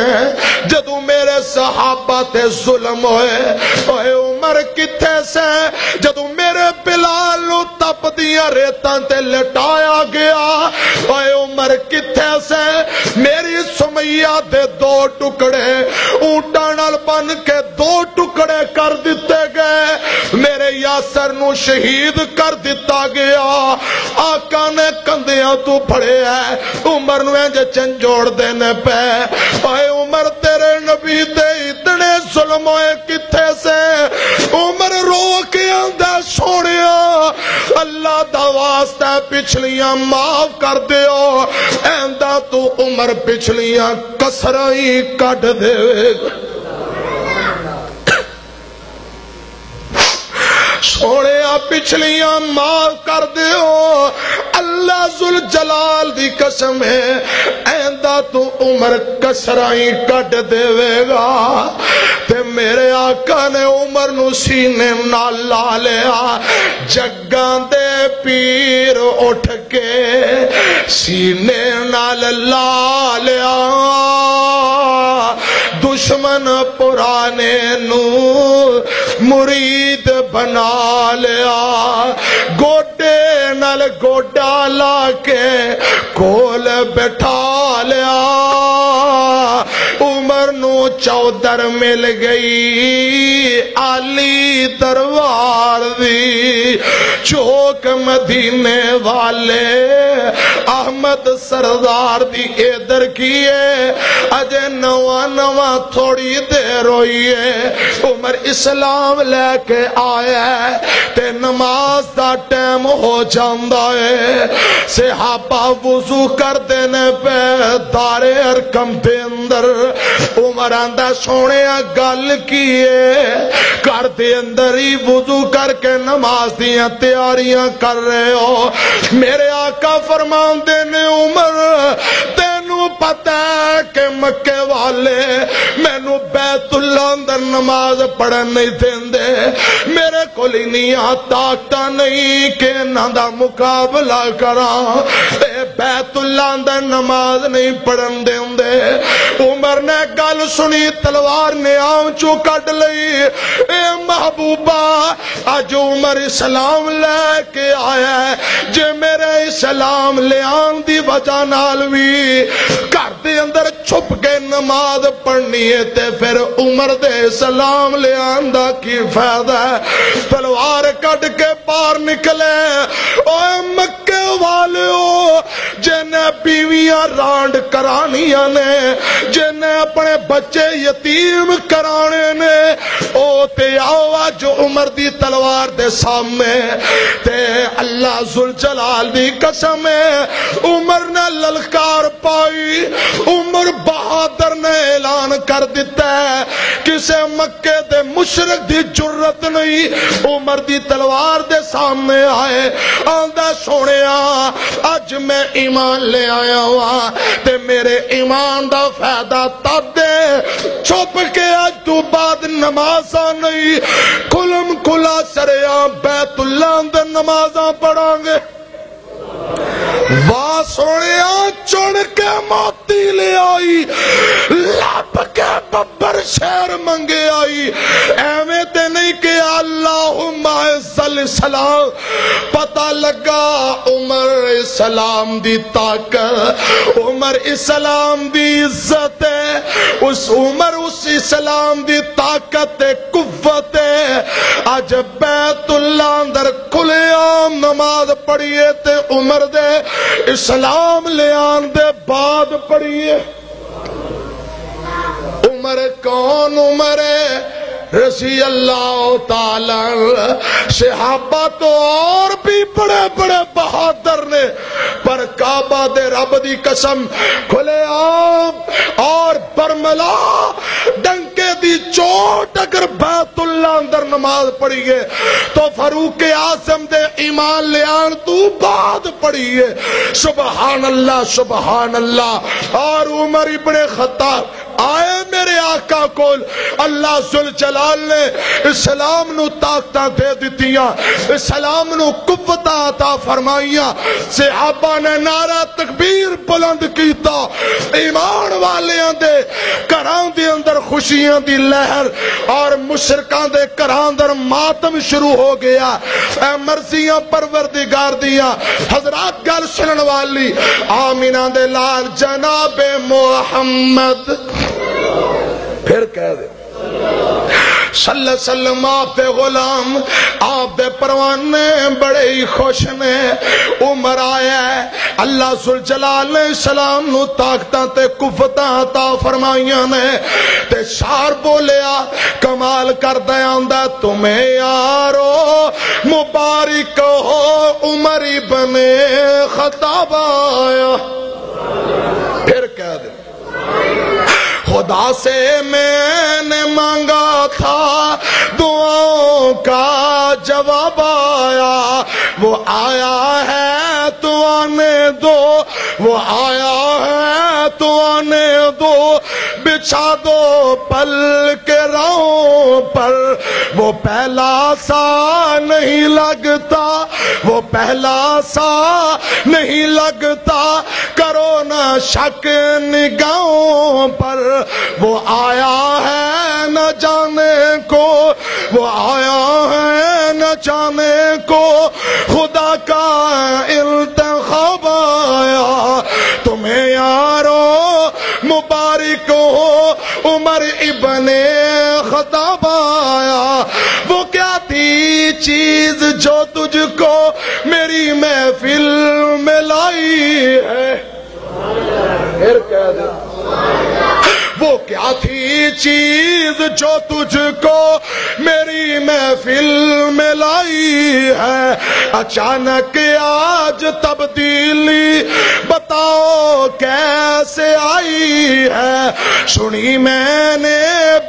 جدوں میرے صحابہ تے ظلم ہوئے؟ اوئے عمر، کتھے سے جدوں میرے بلال نو تپ دیاں ریتاں تے لٹایا گیا؟ اوئے عمر، کتھے سے میری سمیہ دے دو ٹکڑے اونٹاں نال بن کے دو ٹکڑے کر دتے گئے، میرے یاسر نو شہید کر دتا گیا۔" آقا نے کندھیاں تو پھڑے ہے، عمر نو انج چنجوڑ دینے پے۔ اے عمر، تیرے نبی دے اتنے ظلم ہوئے کتھے سے؟ عمر رو کے آندا، "سونیا، اللہ دا واسطہ، پچھلیاں معاف کر دیو، ایندا تو عمر پچھلیاں کسراں ہی کڈ دے۔" سونیا، پچھلیاں معاف کر دیو، اللہ ذوالجلال دی قسم ہے، ایندا تو عمر کسراں ہی کڈ دیوے گا۔ تے میرے آقا نے عمر نو سینے نال لا لیا، جگاں دے پیر اٹھ کے سینے نال لا لیا۔ دشمن پرانے نو مرید بنا لیا، گوڈے نال گوڈا لا کے کول بٹھا لیا۔ عمر نو چودر مل گئی علی دربار دی، چوک مدینے والے احمد سردار دی ادھر کیے، اجے نواں نواں تھوڑی دیر ہوئی ہے، عمر اسلام لے کے آیا ہے تے نماز دا ٹائم ہو جاندا ہے۔ صحابہ وضو کردے نے پے دار ارقم دے اندر۔ عمر آندا، "سونیا، گل کی ہے؟ گھر دے اندر ہی وضو کر کے نماز دیاں تیاریاں کر رہے ہو؟" میرے آقا فرماندے نے، "عمر، تینوں پتہ ہے کہ مکے والے مینوں بیت اللہ اندر نماز پڑھن نہیں دیندے، میرے کول انیاں طاقتاں نہیں کہ انہاں دا مقابلہ کراں، اے بیت اللہ اندر نماز نہیں پڑھن دیندے۔" عمر نے گل سنی، تلوار نیام چوں کڈ لئی۔ اے محبوبہ، اج عمر اسلام لے کے آیا ہے، جے میرے اسلام لیان دی وجہ نال وی گھر دے اندر چھپ کے نماز پڑھنی ہے، تے پھر عمر دے اسلام لیان دا کی فائدہ ہے؟ تلوار کڈ کے باہر نکلے۔ اوے مکے والیو، جنہیں بیویاں رانڈ کرانیاں نے، جنہیں اپنے بچے یتیم کرانے نے، او تے آؤ اج عمر دی تلوار دے سامنے۔ تے اللہ ذوالجلال دی قسم ہے، عمر نے للکار پائی، عمر بہادر نے اعلان کر دتا ہے، کسے مکے دے مشرک دی جرت نہیں عمر دی تلوار دے سامنے آئے۔ آندا، سونیا، اج میں ایمان لے آیا ہاں تے میرے ایمان دا فائدہ تد ہے، چھپ کے اج تو بعد نمازاں نہیں، کھلم کھلا سریاں بیت اللہ اندر نمازاں پڑھاں گے۔ واہ سونیا، چن کے موتی لے آئی، لب کے ببر شیر منگے آئی۔ ایویں تے نہیں کہ اللہم اعز الاسلام۔ پتہ لگا عمر اسلام دی طاقت، عمر اسلام دی عزت ہے، اس عمر اس اسلام دی طاقت تے قوت ہے۔ اج بیت اللہ اندر کھلے عام نماز پڑھیے تے عمر دے اسلام لے آن دے پڑھیے۔ عمر کون؟ عمر رضی اللہ تعالی عنہ۔ صحابہ تو اور بھی بڑے بڑے بہادر نے، پر کعبہ دے رب دی قسم، کھلے عام اور برملا ڈنکے دی چوٹ اگر بیت اللہ اندر نماز پڑھیے تو فاروق اعظم دے ایمان لیان تو بعد پڑھیے۔ سبحان اللہ، سبحان اللہ۔ اور عمر ابن خطاب آئے میرے آقا کول، اللہ ذوالجلال نے اسلام نو طاقتاں دے دتیاں، اسلام نو قوتاں عطا فرمائیاں۔ صحابہ نے نعرہ تکبیر بلند کیتا، ایمان والیاں دے گھراں دے اندر خوشیاں دی لہر اور مشرکاں دے گھراں اندر ماتم شروع ہو گیا۔ اے مرضیاں پروردگار دیاں۔ حضرات، گل سنن والی، آمینہ دے لال جناب محمد، پھر کہہ دے، صلی اللہ علیہ وسلم، آپ دے غلام، آپ دے پروانے بڑے ہی خوش نے۔ عمر آیا ہے، اللہ ذوالجلال نے اسلام نو طاقتاں تے قوتاں عطا فرمائیاں نے۔ تے شعر بولیا، کمال کردا آندا، "تمہیں یارو مبارک ہو، عمر ابن خطاب آیا۔" پھر کہہ دے، خدا سے میں نے مانگا تھا، دعاؤں کا جواب آیا۔ وہ آیا ہے تو آنے دو، وہ آیا ہے تو آنے دو، بچھا دو پل کے راہوں پر۔ وہ پہلا سا نہیں لگتا، وہ پہلا سا نہیں لگتا، کرو نہ شک نگاہوں پر۔ وہ آیا ہے نہ جانے کو، وہ آیا ہے نہ جانے کو، خدا کا انتخاب آیا۔ تمہیں یارو مبارک ہو، عمر ابن خطاب آیا۔ وہ کیا تھی چیز جو تجھ کو میری محفل میں لائی ہے؟ پھر کہہ دے۔ وہ کیا تھی چیز جو تجھ کو میری محفل میں لائی ہے؟ اچانک آج تبدیلی بتاؤ کیسے آئی ہے؟ سنی میں نے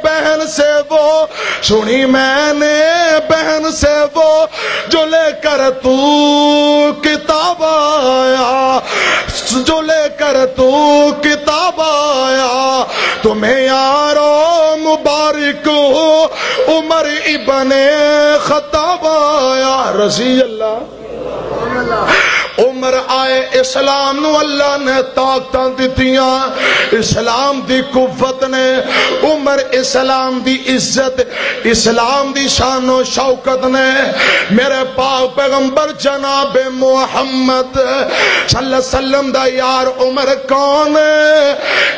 بہن سے وہ، سنی میں نے بہن سے وہ، جو لے کر تو کتاب آیا، جو لے کر تو کتاب آیا، تمہیں یارو مبارک ہو، عمر ابن خطاب آیا، رضی اللہ۔ عمر آئے، اسلام نو اللہ نے طاقتاں دتیاں، اسلام دی قوت نے، عمر اسلام دی عزت، اسلام دی شان و شوکت نے۔ میرے پاک پیغمبر جناب محمد صلی اللہ علیہ وسلم دا یار عمر کون ہے؟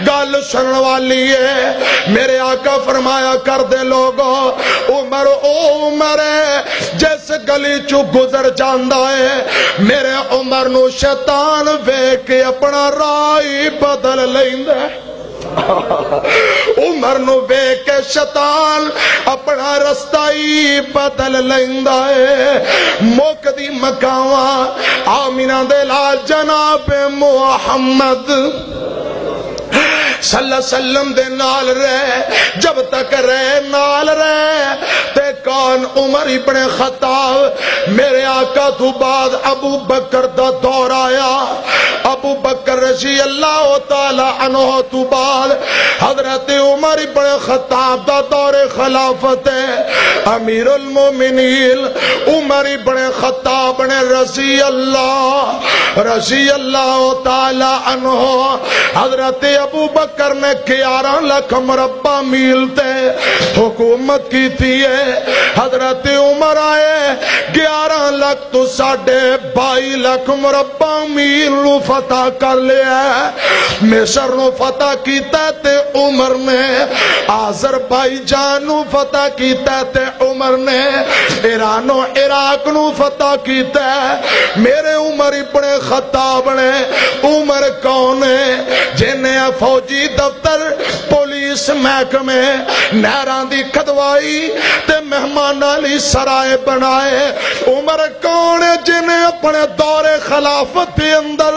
گل سنن والی ہے۔ میرے آقا فرمایا کر دے لوگو، عمر او عمر ہے جس گلی چوں گزر جاندا ہے، میرے عمر نو شیطان ویکھ کے اپنا راہ ہی بدل لیندا ہے۔ عمر نو ویکھ کے شیطان اپنا رستہ ہی بدل لیندا ہے۔ مک دی مکاواں آمینہ دے لال جناب محمد صلی اللہ علیہ وسلم دے نال رہ، جب تک رہ نال رہ۔ تے کون؟ عمر ابن خطاب۔ میرے آقا تو بعد ابو بکر دا دور آیا۔ ابو بکر رضی اللہ تعالی عنہ تو بعد حضرت عمر ابن خطاب دا دور خلافت ہے۔ امیر المومنین عمر ابن خطاب نے رضی اللہ، رضی اللہ تعالی عنہ، حضرت ابو بکر کرنے گیارہ لکھ مربع میل تے حکومت کیتی ہے۔ حضرت عمر آئے، گیارہ لکھ تو ساڑھے بائی لکھ مربع میل نو فتح کر لیا ہے۔ مصر نو فتح کیتا ہے تے عمر نے، آذربائیجان نو فتح کیتا ہے تے عمر نے، ایران و عراق نو فتح کیتا ہے۔ میرے عمر ابن خطاب نے۔ عمر کون ہے؟ جن نے فوجی دفتر، پولیس محکمے، نہراں دی کھدوائی تے مہماناں لئی سرائے بنائے۔ عمر کون ہے؟ جن نے اپنے دور خلافت دے اندر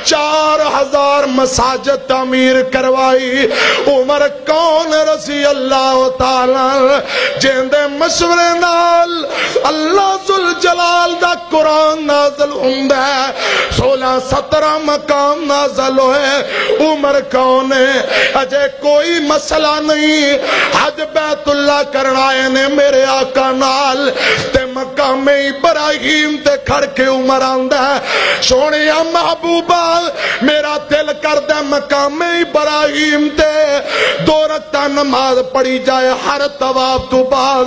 چار ہزار مساجد تعمیر کروائی۔ عمر کون رضی اللہ تعالیٰ عنہ، جن دے مشورے نال اللہ ذوالجلال دا قرآن نازل ہوندا ہے، سولہ سترہ مقام نازل ہوئے۔ عمر کون ہے؟ اجے کوئی مسئلہ نہیں۔ حج بیت اللہ کرن آئے نے میرے آقا نال، تے مقام ابراہیم تے کھڑ کے عمر آندا ہے، سونیا محبوبا، میرا دل کردا ہے مقام ابراہیم تے دو رکعتاں نماز پڑھی جائے ہر طواف تو بعد۔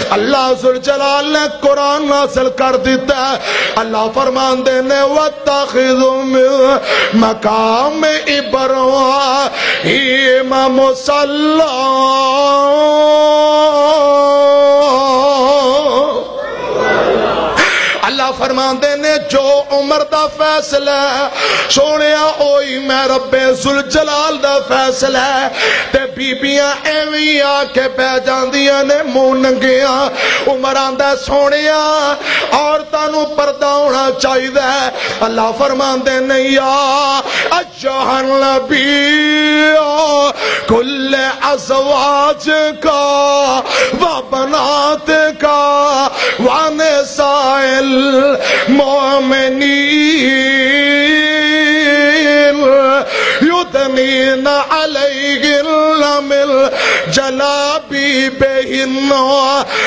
اللہ ذوالجلال نے قرآن نازل کر دیتا ہے۔ اللہ فرماندے نے، "واتخذوا من مقام ابراہیم مصلی۔" اللہ فرماندے نے، جو عمر دا فیصلہ ہے، سونیا، اوہی میں رب ذوالجلال دا فیصلہ ہے۔ تے بیبیاں ایویں آ کے بہ جاندیاں نے منہ ننگیاں۔ عمر آندا، سونیا، عورتاں نوں پردہ ہونا چاہیدا ہے۔ اللہ فرماندے نے، یا ایھا النبی، کل ازواجک و بناتک و نساء المؤمنین یدنین علیہن من جلابیبہن،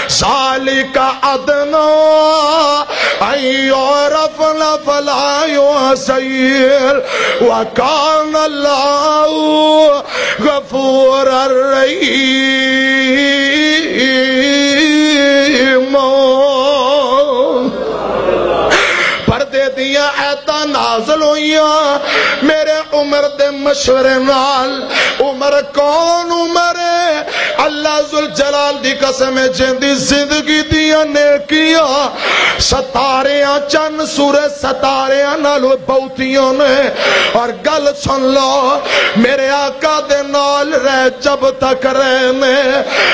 ذالک ادنی ان یعرفن فلا یؤذین، وکان اللہ غفورا رحیما۔ پردے دیاں آیتاں نازل ہوئیاں میرے عمر دے مشورے نال۔ عمر کون؟ عمر اللہ ذوالجلال دی قسم ہے، جن دی زندگی دیاں نیکیاں ستاریاں، چند سورج ستاریاں نالوں بہتیاں نے۔ اور گل سن لو، میرے آقا دے نال رہ جب تک رہے نے،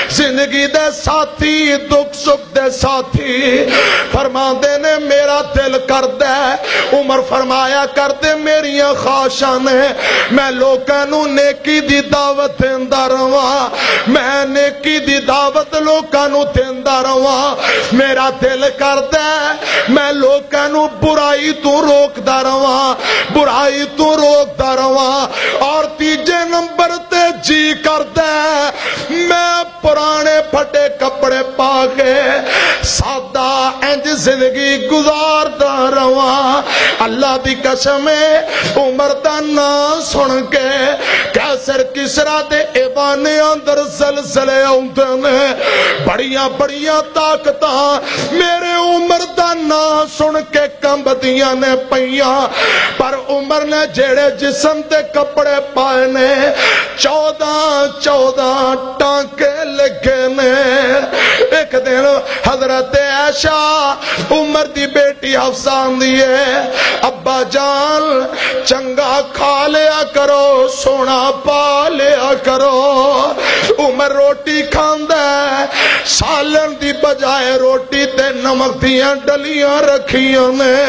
زندگی دے ساتھی، دکھ سکھ دے ساتھی۔ فرماندے نے، میرا دل کردا ہے، عمر فرمایا کردے، میریاں خواہشاں نے، میں لوکاں نوں نیکی دی دعوت دیندا رہواں، میں نیکی دی دعوت لوکاں نوں دیندا رہواں۔ میرا دل کردا ہے، میں لوکاں نوں برائی تو روکدا رہواں، برائی تو روکدا رہواں۔ اور تیجے نمبر تے جی کردا ہے، میں پرانے پھٹے کپڑے پا کے سادہ انج زندگی گزاردا رہواں۔ اللہ دی قسم ہے، عمر دا نام سن کے قیصر کسریٰ دے ایوانیاں اندر زلزلے آوندے نے۔ بڑیاں بڑیاں طاقتاں میرے عمر دا نام سن کے کمبدیاں نے پئیاں، پر عمر نے جڑے جسم تے کپڑے پائے نے، چودہ چودہ ٹانکے لگے نے۔ ایک دن حضرت عائشہ، عمر دی بیٹی حفصہ آندی ہے، "ابا جان، چنگا کھا لیا کرو، سونا پا لیا کرو۔" عمر روٹی کھاندا ہے، سالن دی بجائے روٹی تے نمک دیاں ڈلیاں رکھیاں نے۔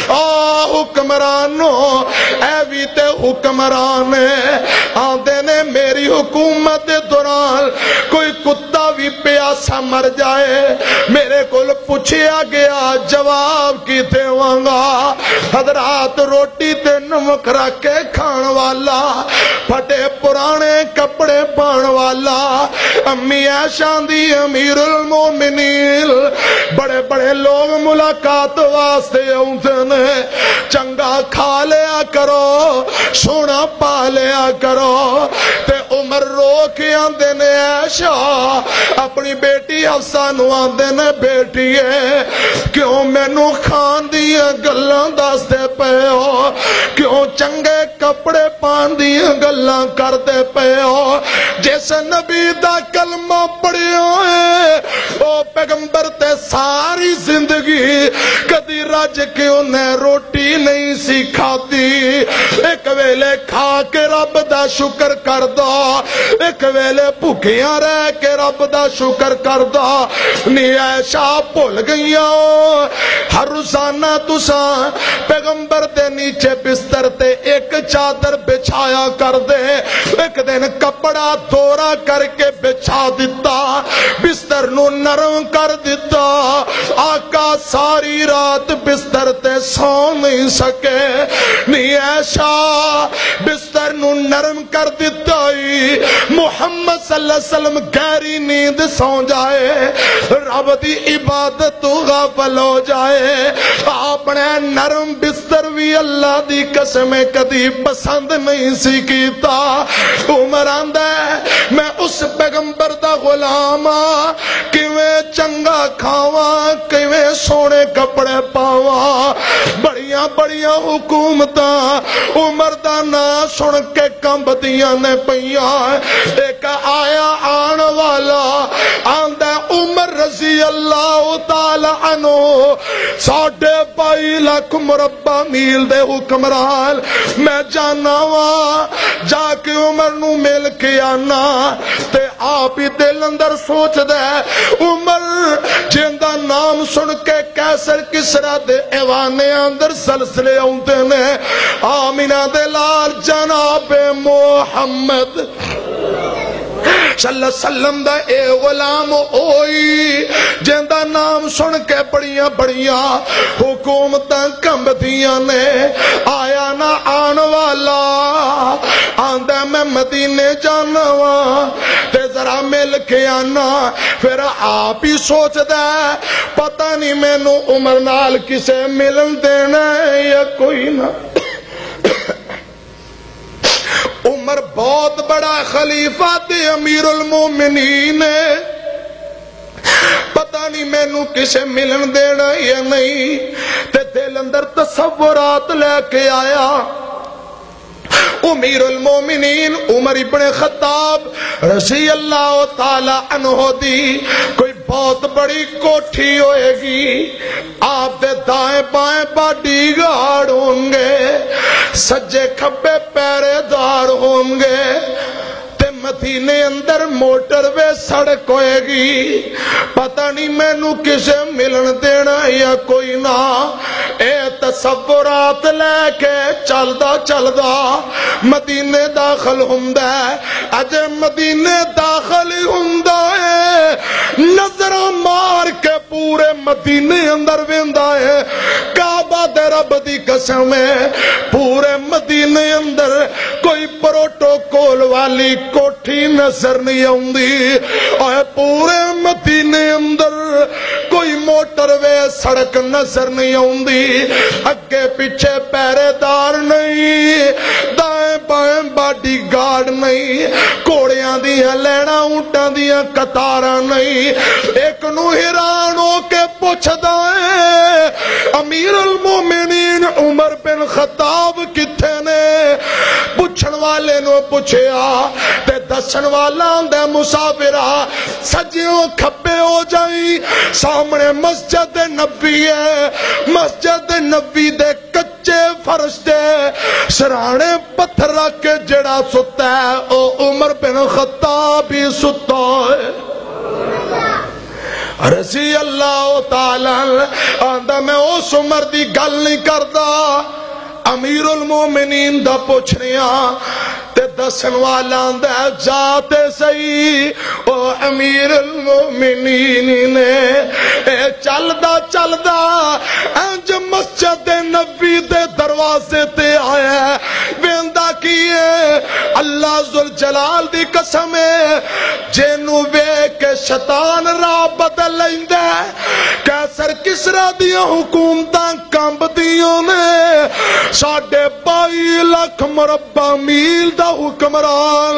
آ حکمرانو، اے وی تے حکمران ہے۔ آندے نے، میری حکومت دے دوران کوئی کتا وی پیاسا مر جائے، میرے کول پچھیا گیا، جواب کی دیواں گا؟ حضرات، روٹی تے نمک رکھ کے کھان والا، پھٹے پرانے کپڑے پان والا، امی عائشہ دی، امیر المومنین، بڑے بڑے لوگ ملاقات واسطے آؤندے نے، چنگا کھا لیا کرو، سونا پا لیا کرو۔ تے عمر رو کے آندے نے، عائشہ اپنی بیٹی حفصہ نو آندے نے، بیٹی اے، کیوں مینوں کھان دیاں گلاں دسدے پئے ہو؟ کیوں چنگے کپڑے پان دیاں گلاں کردے پئے ہو؟ جس نبی دا کلمہ پڑھیا ہے، او پیغمبر تے ساری زندگی کدی رج کے انہیں روٹی نہیں سی کھادی۔ ایک ویلے کھا کے رب دا شکر کردا، ایک ویلے بھکیاں رہ کے رب دا شکر کردا۔ نی عائشہ بھول گئیاں، ہر روزانہ تساں پیغمبر دے نیچے بستر تے ایک چادر بچھایا کر دے۔ ایک دن کپڑا دورا کر کے بچھا دتا، بستر نو نرم کر دتا۔ آقا ساری رات بستر تے سو نہیں سکے۔ نی عائشہ بستر نو نرم کر دتا ای۔ محمد صلی اللہ علیہ وسلم گہری نیند سو جائے، رب دی عبادت تو غافل ہو جائے۔ اپنے نرم بستر وی اللہ دی قسم کدی پسند نہیں سی کیتا۔ عمر آندا ہے، میں اس پیغمبر دا غلام ہاں، کیویں چنگا کھاواں، کیویں سونے کپڑے پاواں۔ بڑیاں بڑیاں حکومتاں عمر دا نام سن کے کمبدیاں نے پئیاں۔ ایک آیا آن والا، آندا عمر رضی اللہ تعالی عنہ، ساڑھے بائی لاکھ مربع میل دے حکمران، میں جانا وا، جا کے عمر نو مل کے آنا۔ تے آپ ہی دل اندر سوچدا ہے، عمر جیندا نام سن کے قیصر کسریٰ دے ایوانے اندر زلزلے آوندے نے۔ آمینہ دے لال جناب محمد صلی اللہ علیہ وسلم دا اے غلام ہوئی، جیندا نام سن کے بڑیاں بڑیاں حکومتاں کمبدیاں نے۔ آیا نہ آن والا، آندا میں مدینے جانا واں، تے ذرا مل کے آنا۔ پھر آپ ہی سوچدا ہے، پتہ نہیں مینوں عمر نال کسے ملن دینا ہے یا کوئی نہ۔ عمر بہت بڑا خلیفہ تے امیر المومنین ہے، پتہ نہیں مینوں کسے ملن دینا یا نہیں۔ تے دل اندر تصورات لے کے آیا۔ امیر المومنین عمر ابن خطاب رضی اللہ تعالی عنہ دی کوئی بہت بڑی کوٹھی ہوئے گی۔ آپ دے دائیں بائیں باڈی گارڈ ہون گے، سجے کھبے پہرے دار ہون گے، تے مدینے اندر موٹر وے سڑک ہوئے گی۔ پتہ نہیں مینوں کسے ملن دینا یا کوئی نہ۔ اے تصورات لے کے چلدا چلدا مدینے داخل ہوندا ہے۔ اجے مدینے داخل ہی ہوندا ہے، نظراں مار کے پورے مدینے اندر ویندا ہے۔ کعبہ دے رب دی قسم ہے، پورے مدینے اندر کوئی پروٹوکول والی کوٹھی نظر نہیں آوندی۔ اے پورے مدینے اندر کوئی موٹر وے سڑک نظر نہیں آوندی۔ اگے پیچھے پہرے دار نہیں، دائیں بائیں باڈی گارڈ نہیں، گھوڑیاں دیاں لیناں، اونٹاں دیاں قطاراں نہیں۔ ایک نو حیران ہو کے پوچھدا ہے، امیر المومنین عمر بن خطاب کتھے نے؟ پوچھن والے نو پوچھیا تے دسن والا آندا، مسافرا، سجیوں کھبے ہو جائیں، سامنے مسجد نبی ہے، مسجد نبی دے کچے فرش تے سرانے پتھر رکھ کے جڑا ستا ہے، او عمر بن خطاب ہی ستا ہے۔ رضی اللہ تعالی عنہ۔ آندا، میں اس عمر دی گل نہیں کردا، امیر المومنین دا پوچھ رہا۔ تے دسن والا آندا، جا تے سہی، او امیر المومنین نے۔ اے چلدا چلدا انج مسجد نبی دے دروازے تے آیا ہے۔ ویندا کی ہے؟ اللہ ذوالجلال دی قسم ہے، جینوں ویکھ کے شیطان راہ بدل لیندا ہے۔ قیصر کسریٰ دیاں حکومتاں کمبدیاں نے۔ ساڈے بائی لکھ مربع میل دا حکمران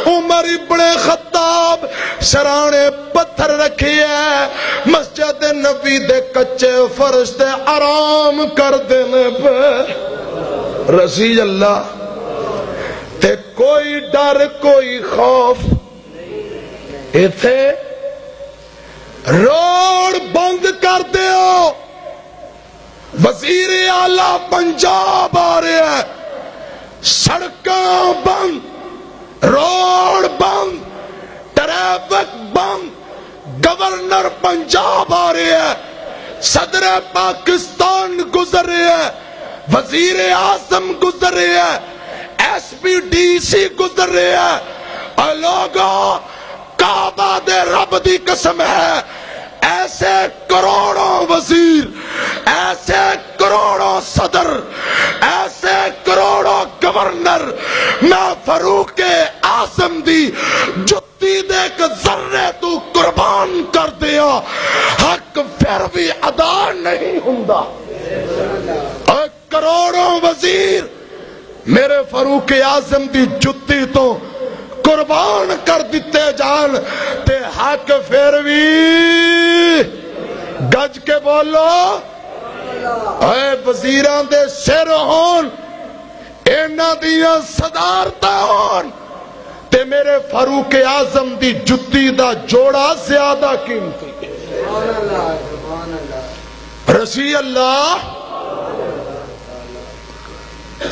عمر ابن خطاب سرانے پتھر رکھے ہے، مسجد نبی دے کچے فرش تے آرام کردے نے پے۔ رضی اللہ۔ تے کوئی ڈر، کوئی خوف۔ ایتھے روڈ بند کر دیو، وزیر اعلی پنجاب آ رہا ہے، سڑکاں بند، روڈ بند، ٹریفک بند، گورنر پنجاب آ رہا ہے، صدر پاکستان گزر رہا ہے، وزیر اعظم گزر رہا ہے، ایس پی ڈی سی گزر رہا ہے۔ اے لوگو، کعبہ دے رب دی قسم ہے، ایسے کروڑوں وزیر، ایسے کروڑوں صدر، ایسے کروڑوں گورنر میں فاروق اعظم دی جتی دے ایک ذرے تو قربان کر دیا، حق پھر بھی ادا نہیں ہوندا۔ اے کروڑوں وزیر میرے فاروق اعظم دی جتی تو قربان کر دتے جان، تے حق پھر بھی، گج کے بولو، اے وزیراں دے سر ہون، انہاں دیاں صدارتاں ہون، تے میرے فاروق اعظم دی جتی دا جوڑا زیادہ قیمتی۔ رضی اللہ۔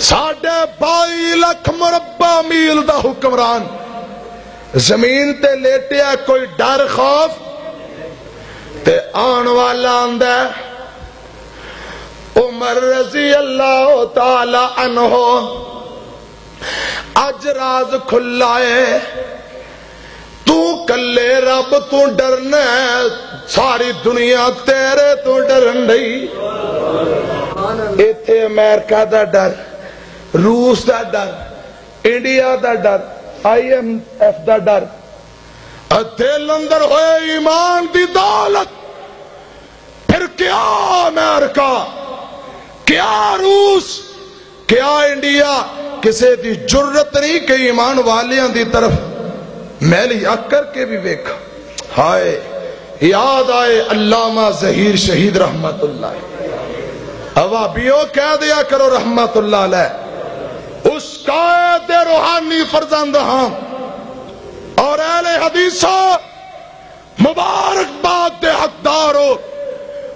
ساڈے بائی لکھ مربع میل دا حکمران، زمین تے لیٹیا، کوئی ڈر خوف؟ تے آن والا آندا ہے، عمر رضی اللہ تعالی عنہ، اج راز کھلا ہے، تو کلے رب تو ڈرنا ہے، ساری دنیا تیرے تو ڈرن ڈئی۔ ایتھے امریکہ دا ڈر، روس دا ڈر، انڈیا دا ڈر، آئی ایم ایف دا ڈر، اتے لندر ہوئے ایمان دی دولت۔ پھر کیا امریکہ، کیا روس، کیا انڈیا، کسے دی جرت نہیں کہ ایمان والیاں دی طرف میلی اکھ کر کے بھی ویکھ۔ ہائے، یاد آئے علامہ ظہیر شہید رحمت اللہ۔ اوابیو کہہ دیا کرو رحمت اللہ علیہ۔ اس قائد دے روحانی فرزند ہاں اور اہل حدیثوں، مبارکباد دے حقدار ہو،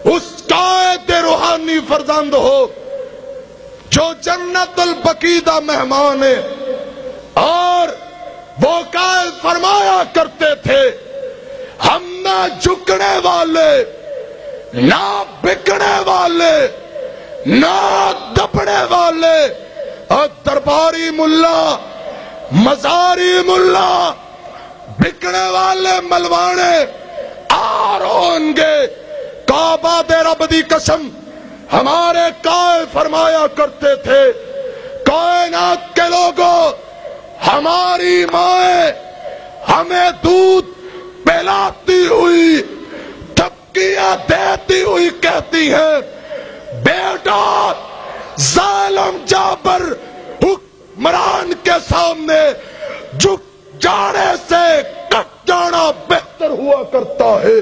اس قائد دے روحانی فرزند ہو جو جنت البقیع دا مہمان ہے۔ اور وہ قائد فرمایا کرتے تھے، ہم نہ جھکنے والے، نہ بکنے والے، نہ دبنے والے، اور درباری ملا، مزاری ملا، بکنے والے ملوانے آ رہن گے۔ کعبہ دے رب دی قسم، ہمارے قائد فرمایا کرتے تھے، کائنات کے لوگوں، ہماری مائیں ہمیں دودھ پلاتی ہوئی، دھمکیاں دیتی ہوئی کہتی ہیں، بیٹا، ظالم جابر حکمران کے سامنے جھک جانے سے کٹ جانا بہتر ہوا کرتا ہے۔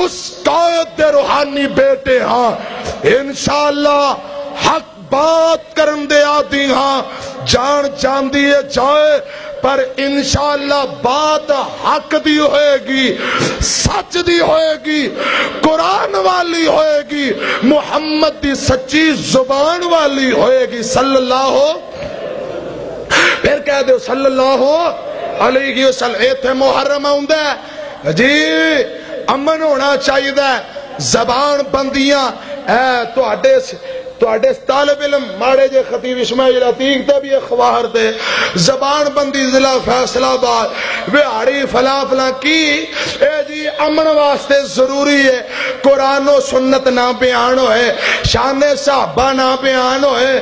اس قائد دے روحانی بیٹے ہاں، انشاءاللہ حق بات کرن دے عادی ہاں، جان جاندی ہے جائے، پر انشاءاللہ بات حق دی ہوئے گی، سچ دی ہوئے گی، قرآن والی ہوئے گی، محمد دی سچی زبان والی ہوئے گی۔ صلی اللہ ہو، پھر کہہ دیو صلی اللہ علیہ وسلم۔ ایتھے محرم آوندا ہے جی، امن ہونا چاہیدا ہے، زبان بندیاں، اے تہاڈے س-، تہاڈے طالب علم ماڑے جے خطیب اسماعیل عتیق تے بھی اخبار دے، زبان بندی ضلع فیصل آباد، وہاڑی فلاں فلاں کی، اے جی امن واسطے ضروری ہے، قرآن و سنت نہ بیان ہوئے، شان صحابہ نہ بیان ہوئے،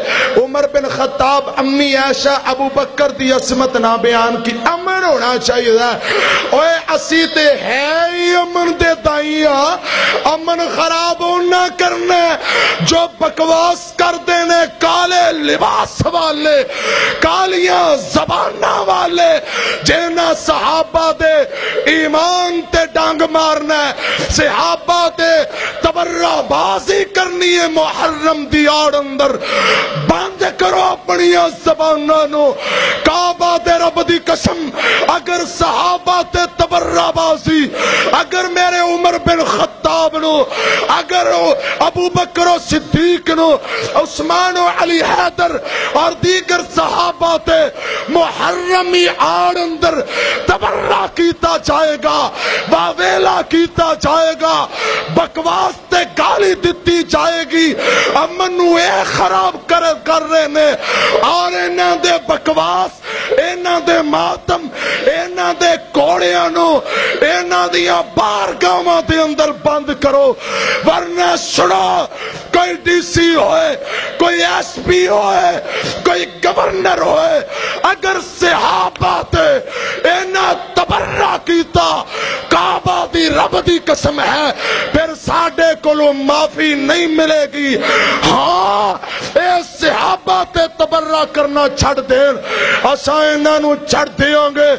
عمر بن خطاب، امی عائشہ، ابو بکر دی عصمت نہ بیان کی، امن ہونا چاہیے۔ اوئے، اسی تے ہے ہی امن دے دائی ہاں۔ امن خراب ہونا کرنا ہے جو بکواس کردے نے کالے لباس والے، کالیاں زباناں والے، جنہاں صحابہ دے ایمان تے ڈنگ مارنا ہے، صحابہ تے تبرہ بازی کرنی ہے محرم دی آڑ اندر۔ بند کرو اپنیاں زباناں نو۔ کعبہ دے رب دی قسم، اگر صحابہ تے تبرہ بازی، اگر میرے عمر بن خطاب نو، اگر ابو بکر و صدیق نو، عثمان و علی حیدر اور دیگر صحابہ تے محرمی آڑ اندر تبرہ کیتا جائے گا، واویلا کیتا جائے گا، بکواس تے گالی دتی جائے گی۔ امن نو اے خراب کر، کر رہے نے اور انہاں دے بکواس، انہاں دے ماتم، انہاں دے کوڑیاں نو انہاں دیاں بارگاہاں دے اندر بند کرو، ورنہ سنو، کوئی ڈی سی ہوئے، کوئی ایس پی ہوئے، کوئی گورنر ہوئے، اگر صحابہ تے اینا تبرہ کیتا، کعبہ دی رب دی قسم ہے، پھر ساڈے کولوں معافی نہیں ملے گی۔ ہاں، اے صحابہ تے تبرہ کرنا چھڈ دین، اساں انہاں نوں چھڈ دیاں گے۔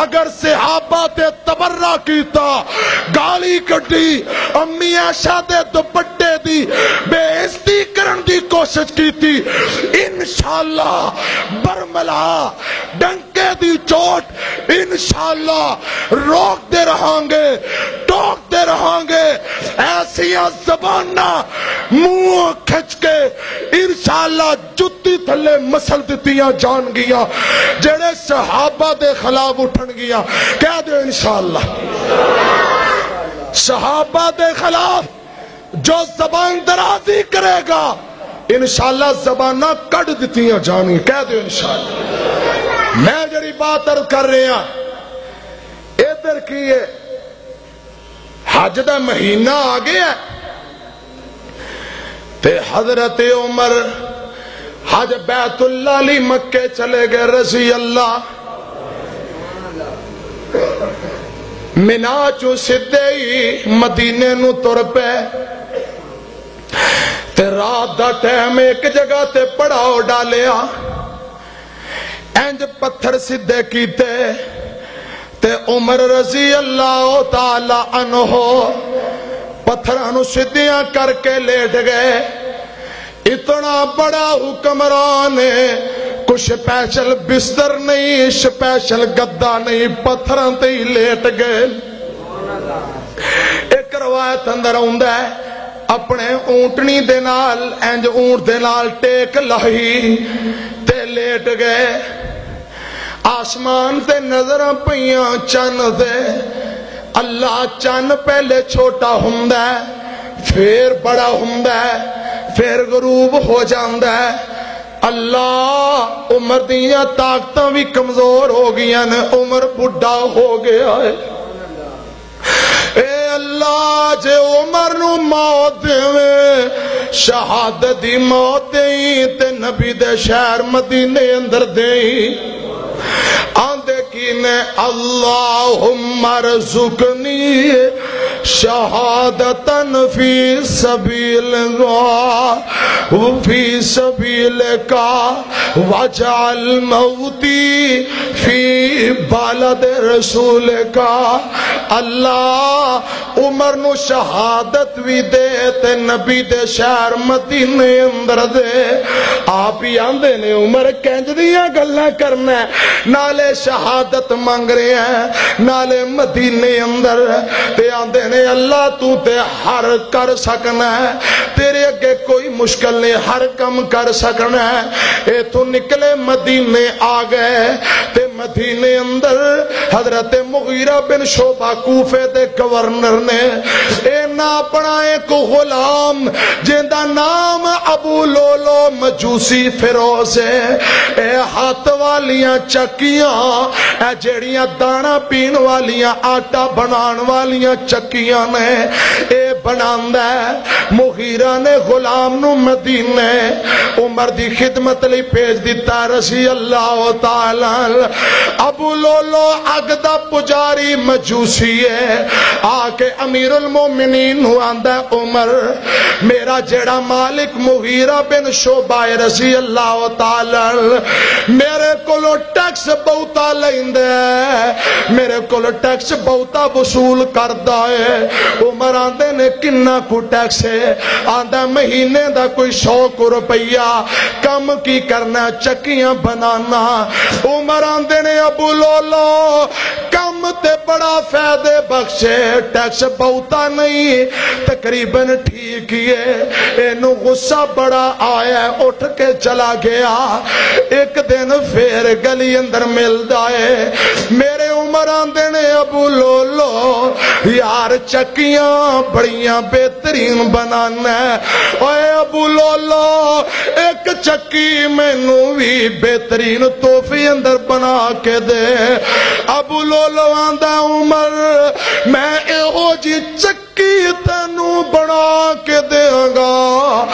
اگر صحابہ تے تبرہ کیتا، گالی کڈی، امی عائشہ دے دوپٹے دی بے عزتی کرن دی کوشش کیتی، انشاءاللہ برملا ڈنکے دی چوٹ، انشاءاللہ روکدے رہاں گے، ٹوکدے رہاں گے۔ ایسیاں زباناں منہ کھچ کے انشاءاللہ جتی تھلے مسل دتیاں جان گیاں۔ جڑے صحابہ دے خلاف اٹھن گیاں، کہہ دے انشاءاللہ۔ صحابہ دے خلاف جو زبان درازی کرے گا، انشاءاللہ زباناں کڈ دتیاں جان گیاں، کہہ دے انشاءاللہ۔ میں جڑی بات عرض کر رہا، ادھر کی ہے، حج دا مہینہ آ گیا ہے، تے حضرت عمر حج بیت اللہ علی مکے چلے گئے رضی اللہ۔ منا چوں سدھے ہی مدینے نوں تر پے، تے رات دا ٹائم ایک جگہ تے پڑاؤ ڈالیا۔ انج پتھر سدھے کیتے تے عمر رضی اللہ تعالی عنہ پتھراں نوں سدھیاں کر کے لیٹ گئے۔ اتنا بڑا حکمران ہے، کوئی سپیشل بستر نہیں، سپیشل گدا نہیں، پتھراں تے ہی لیٹ گئے۔ ایک روایت اندر آوندا ہے، اپنے اونٹنی دے نال، انج اونٹ دے نال ٹیک لائی تے لیٹ گئے۔ آسمان تے نظراں پئیاں چن تے، اللہ، چن پہلے چھوٹا ہوندا ہے، پھر بڑا ہوندا ہے، پھر غروب ہو جاندا ہے۔ اللہ، عمر دیاں طاقتاں وی کمزور ہو گئیاں نے، عمر بڈھا ہو گیا ہے۔ اے اللہ، جے عمر نو موت دیویں، شہادت دی موت دیں، تے نبی دے شہر مدینے اندر دیں۔ آندے کی نے، اللہم ارزقنی شہادتاً فی سبیل، فی سبیلک، واجعل موتی فی بلد رسولک۔ اللہ، عمر نو شہادت وی دے تے نبی دے شہر مدینے اندر دے۔ آپ ہی آندے نے، عمر کنج دیاں گلاں کرنا ہے، نالے شہادت منگ رہے ہیں، نالے مدینے اندر۔ تے آندے نے، اللہ تو تے ہر کر سکنا ہے، تیرے اگے کوئی مشکل نہیں، ہر کم کر سکنا ہے۔ اے تو نکلے، مدینے آ گئے، تے مدینے اندر حضرت مغیرہ بن شعبہ کوفے دے گورنر نے، اینا اپنا ایک غلام جیندا نام ابو لولو مجوسی فیروز ہے۔ اے ہاتھ والیاں چکیاں، اے جیڑیاں دانا پین والیاں، آٹا بنان والیاں چکیاں نے، اے بناندا ہے۔ مغیرہ نے غلام نو مدینے عمر دی خدمت لئی بھیج دتا، رضی اللہ تعالی عنہ۔ ابو لولو اگ دا پجاری مجوسی ہے، آ کے امیر المومنین نو آندا ہے، عمر، میرا جیڑا مالک مغیرہ بن شعبہ ہے، رضی اللہ تعالی عنہ، میرے کولوں ٹیکس بہتا لیندا ہے، میرے کولوں ٹیکس بہتا وصول کردا ہے۔ عمر آندے نے، "کنا کو ٹیکس ہے؟" آندا، "مہینے دا کوئی سو کو روپیہ۔" "کم کی کرنا؟" "چکیاں بنانا۔" عمر آندے نے، "ابو لولو، کم تے بڑا فائدے بخش ہے، ٹیکس بہتا نہیں، تقریباً ٹھیک ہی ہے۔" اینو غصہ بڑا آیا، اٹھ کے چلا گیا۔ ایک دن پھر گلی اندر ملدا ہے، میرے عمر آندے نے، "ابو لولو، یار، چکیاں بڑیاں بہترین بنانا ہے۔ اوئے ابو لولو، ایک چکی مینوں وی بہترین تحفے اندر بنا کے دے۔" ابو لولو آندا، "عمر، میں ایہو جی چکی تینوں بنا کے دیاں گا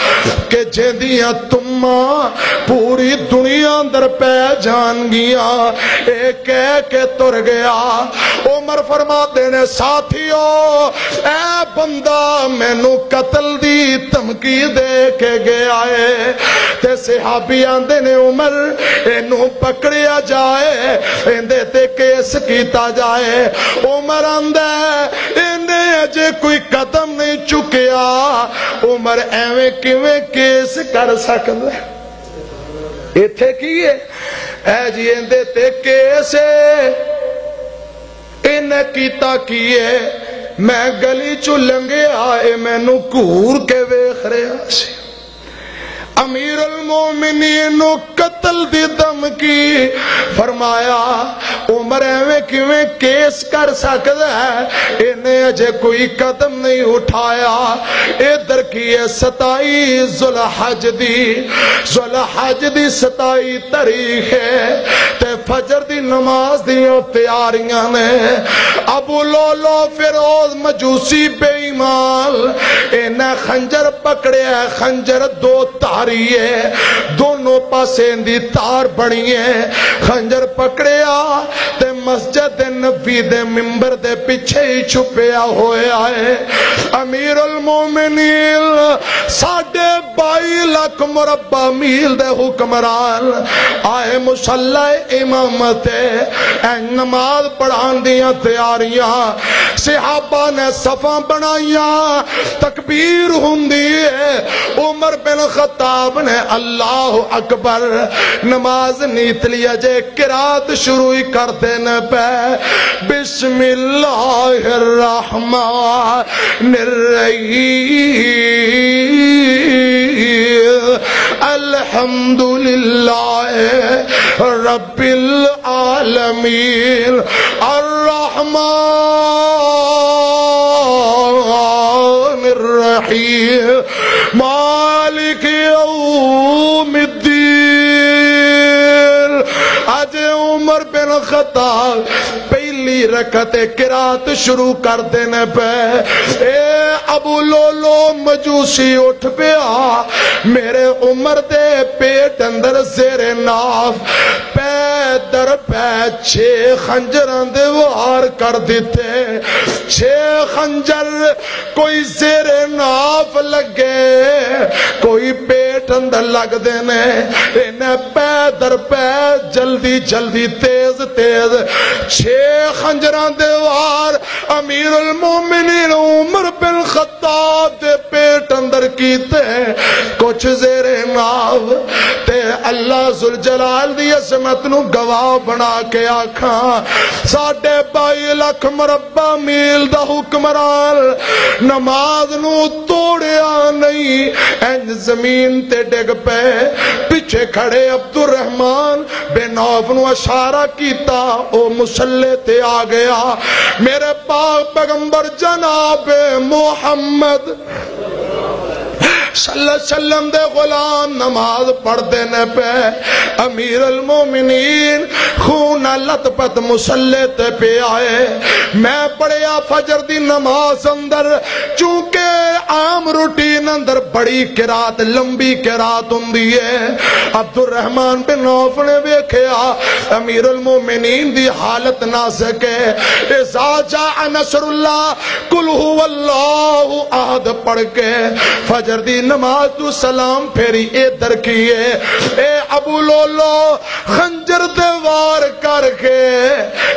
کہ جیندیاں تماں پوری دنیا اندر پہ جان گیاں۔" اے کہہ کے تر گیا۔ عمر فرماندے نے، ساتھیو، اے بندہ مینوں قتل دی دھمکی دے کے گیا ہے۔ تے صحابی آندے نے، "عمر، اینوں پکڑیا جائے، ایندے تے کیس کیتا جائے۔" عمر آندا ہے، "اینے اجے کوئی قدم نہیں چکیا۔" عمر ایویں کیویں کیس کر سکدا ہے؟ ایتھے کی ہے؟ اے جی، ایندے تے کیس ہے۔ انہیں کیتا کی ہے؟ میں گلی چوں لنگھیا، اے مینوں گھور کے ویکھ رہیا سی۔ امیر المومنین نو قتل دی دھمکی۔ فرمایا، عمر ایویں کیویں کیس کر سکدا ہے؟ انہیں اجے کوئی قدم نہیں اٹھایا۔ ادھر کی ہے ستائی ذوالحج دی، ذوالحج دی ستائی تاریخ ہے تے فجر دی نماز دیاں تیاریاں نے۔ ابو لولو فیروز مجوسی بے ایمان، انہیں خنجر پکڑیا، خنجر دو تاری ہے، دونوں پاسے دی تار بنی ہے۔ خنجر پکڑیا تے مسجد نبی دے ممبر دے پیچھے ہی چھپیا ہویا ہے۔ امیر المومنین، ساڈے بائی لکھ مربع میل دے حکمران آئے مصلی امامت، اے نماز پڑھان دیاں تیاریاں، صحابہ نے صفاں بنائیاں، تکبیر ہوندی ہے۔ عمر بن خطاب نے اللہ اکبر، نماز نیت لیا جے، قرات شروع ہی کر دینے پہ۔ بسم اللہ الرحمن الرحیم۔ الحمد للہ رب العالمین، الرحمن الرحیم، مالک یوم الدین۔ اج عمر بن خطاب پہلی رکعت قرات شروع کر دینے پہ۔ اے ابو لولو مجوسی اٹھ پیا، میرے عمر دے پیٹ اندر زیر ناف پے در پے چھ خنجراں دے وار کر دتے۔ چھ خنجر کوئی زیر ناف لگے، کوئی پیٹ اندر لگدے نے۔ انہیں پے در پے، جلدی جلدی، تیز تیز چھ خنجراں دے وار امیر المومنین عمر بن خطاب دے پیٹ اندر کیتے۔ کچھ زیر ناف تے اللہ ذوالجلال دی عظمت نو گواہ بنا کے آکھاں، ساڈے بائی لکھ مربع میل دا حکمران نماز نو توڑیا نہیں، انج زمین تے ڈگ پئے۔ پچھے کھڑے عبدالرحمن بن عوف نو اشارہ کیتا، او مصلے تے آ گیا۔ میرے پاک پیغمبر جناب محمد صلی اللہ علیہ وسلم دے غلام نماز پڑھدے نے پے۔ امیر المومنین خون نال لت پت مصلے تے پیا ہے۔ میں پڑھیا فجر دی نماز اندر، چونکہ عام روٹین اندر بڑی قرات، لمبی قرات ہوندی ہے۔ عبد الرحمن بن عوف نے ویکھیا، امیر المومنین دی حالت نازک ہے۔ اذا جاء نصر اللہ، قل هو اللہ احد پڑھ کے فجر دی نماز تو سلام پھیری۔ اے درکیے، اے ابو لولو خنجر دے وار کر کے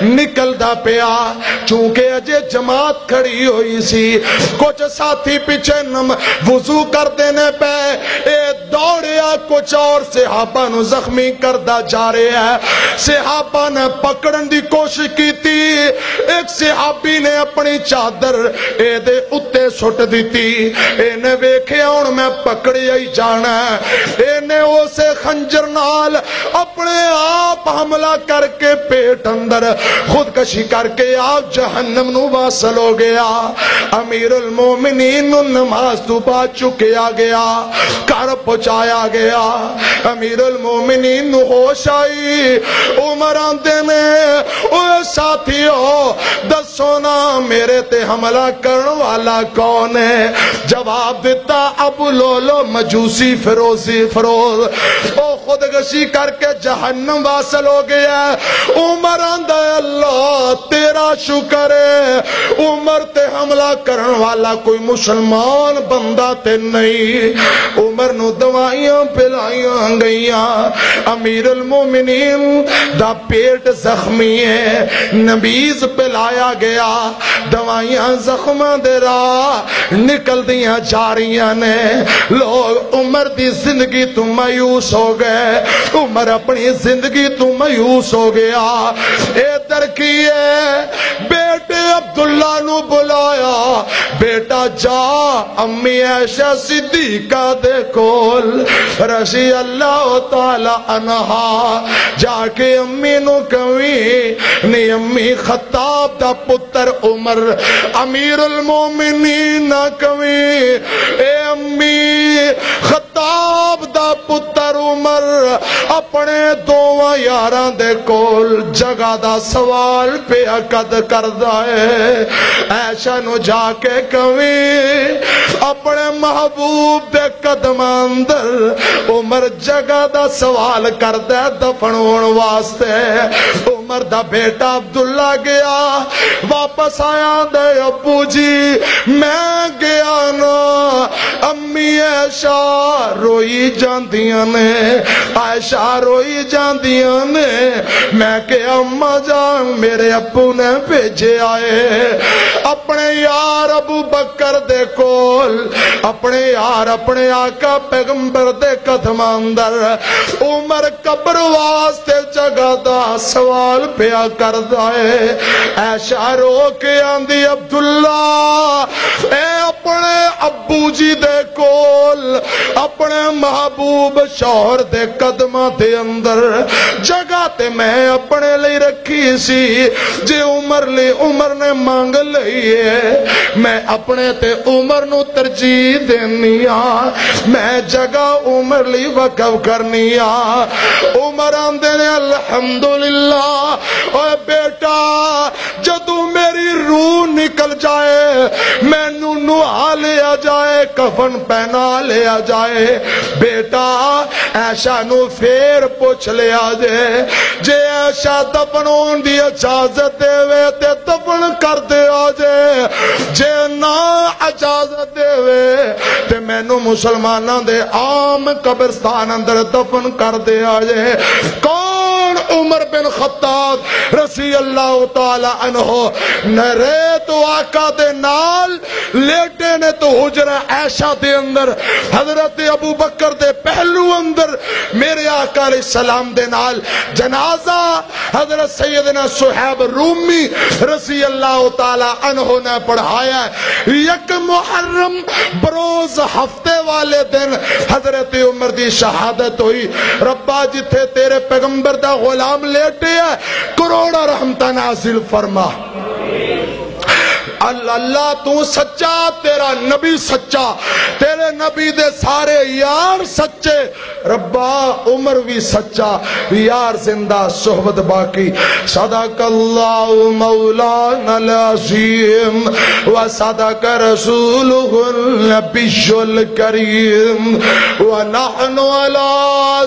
نکلدا پیا، چونکہ اجے جماعت کھڑی ہوئی سی۔ کچھ ساتھی پیچھے نم وضو کردے نے پے، اے دوڑیا کچھ اور صحابہ نو زخمی کردا جا رہا ہے۔ صحابہ نے پکڑن دی کوشش کیتی، ایک صحابی نے اپنی چادر اے دے اُتے سٹ دتی۔ اے نے ویکھیا، ہن میں پکڑیا ہی جانا ہے۔ اے نے اسے خنجر نال اپنے آپ حملہ کر کے پیٹ اندر خودکشی کر کے آپ جہنم نو واصل ہو گیا۔ امیر المومنین نو نماز تو بعد چکیا گیا، گھر پہنچایا گیا۔ امیر المومنین نو ہوش آئی۔ عمر آندے نے، "اوے ساتھیو، دسو نا، میرے تے حملہ کرن والا کون ہے؟" جواب دتا، "ابو لولو مجوسی فروزی فروز، او خودکشی کر کے جہنم واصل ہو گیا ہے۔" عمر آندا ہے، "اللہ تیرا شکر ہے، عمر تے حملہ کرن والا کوئی مسلمان بندہ تے نہیں۔" عمر نو دوائیاں پلائیاں گئیاں۔ امیر المومنین دا پیٹ زخمی ہے، نبیذ پلایا گیا، دوائیاں زخماں دے راہ نکلدیاں جا رہیاں نے۔ لوگ عمر دی زندگی تو مایوس ہو گئے، عمر اپنی زندگی تو مایوس ہو گیا۔ اے درکیے، بیٹے عبداللہ نو بلایا، "بیٹا جا، امی عائشہ صدیقہ دے کول رضی اللہ تعالی عنہا جا کے امی نو کہیں، نی امی، خطاب دا پتر عمر، امیر المومنین نہ کہیں، اے امی، خطاب دا پتر عمر اپنے دوواں یاراں دے کول جگہ دا سوال پیا قد کردا ہے۔" عائشہ نو جا کے کہیں، اپنے محبوب دے قدماں اندر عمر جگہ دا سوال کردا ہے دفن ہون واسطے۔ عمر دا بیٹا عبداللہ گیا، واپس آیا، آندا ہے، "ابو جی، میں گیا نا، امی عائشہ روئی جاندیاں نے، عائشہ روئی جاندیاں نے۔" میں کہیا، "اماں جان، میرے ابو نے بھیجے آئے اپنے یار ابو بکر دے کول، اپنے یار، اپنے آقا پیغمبر دے قدماں اندر۔" عمر قبر واسطے جگہ دا سوال پیا کردا ہے۔ عائشہ رو کے آندی، "عبداللہ، اے اپنے ابو جی دے کول، اپنے محبوب شوہر دے قدماں دے اندر جگہ تے میں اپنے لئی رکھی سی، جے عمر لئی عمر نے مانگ لئی ہے، میں اپنے تے عمر نو ترجیح دینی آ، میں جگہ عمر لئی وقف کرنی آ۔" عمر آندے نے، "الحمدللہ، اوے بیٹا، جدوں میری روح نکل جائے، مینوں نہا لیا جائے، کفن پہنا لیا جائے۔" بیٹا، عائشہ نو فیر پوچھ لیا جے، جے عائشہ دفن ہون دی اجازت دے وے تے دفن کر دیا جے، جے نہ اجازت دے وے تے مینوں مسلماناں دے عام قبرستان اندر دفن کر دیا جے۔ کون؟ عمر بن خطاب رضی اللہ تعالی عنہ نرے تو آقا دے نال لیٹے نے تو حجرہ عائشہ دے اندر حضرت ابو بکر دے پہلو اندر میرے آقا علیہ السلام دے نال جنازہ حضرت سیدنا صہیب رومی رضی اللہ تعالی عنہ نے پڑھایا ہے۔ یک محرم بروز ہفتے والے دن حضرت عمر دی شہادت ہوئی۔ ربا، جتھے تیرے پیغمبر دا غلام لیٹے ہے، کروڑا رحمتاں نازل فرما۔ ال-، اللہ تو سچا، تیرا نبی سچا، تیرے نبی دے سارے یار سچے، ربا عمر بھی سچا، یار زندہ صحبت باقی۔ صدق اللہ مولانا العظیم و صدق رسولہ النبی الکریم و نحن علی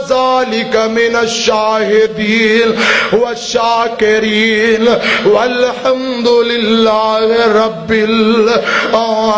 ذلک من الشاہدین والشاکرین والحمد للہ رب العالمین۔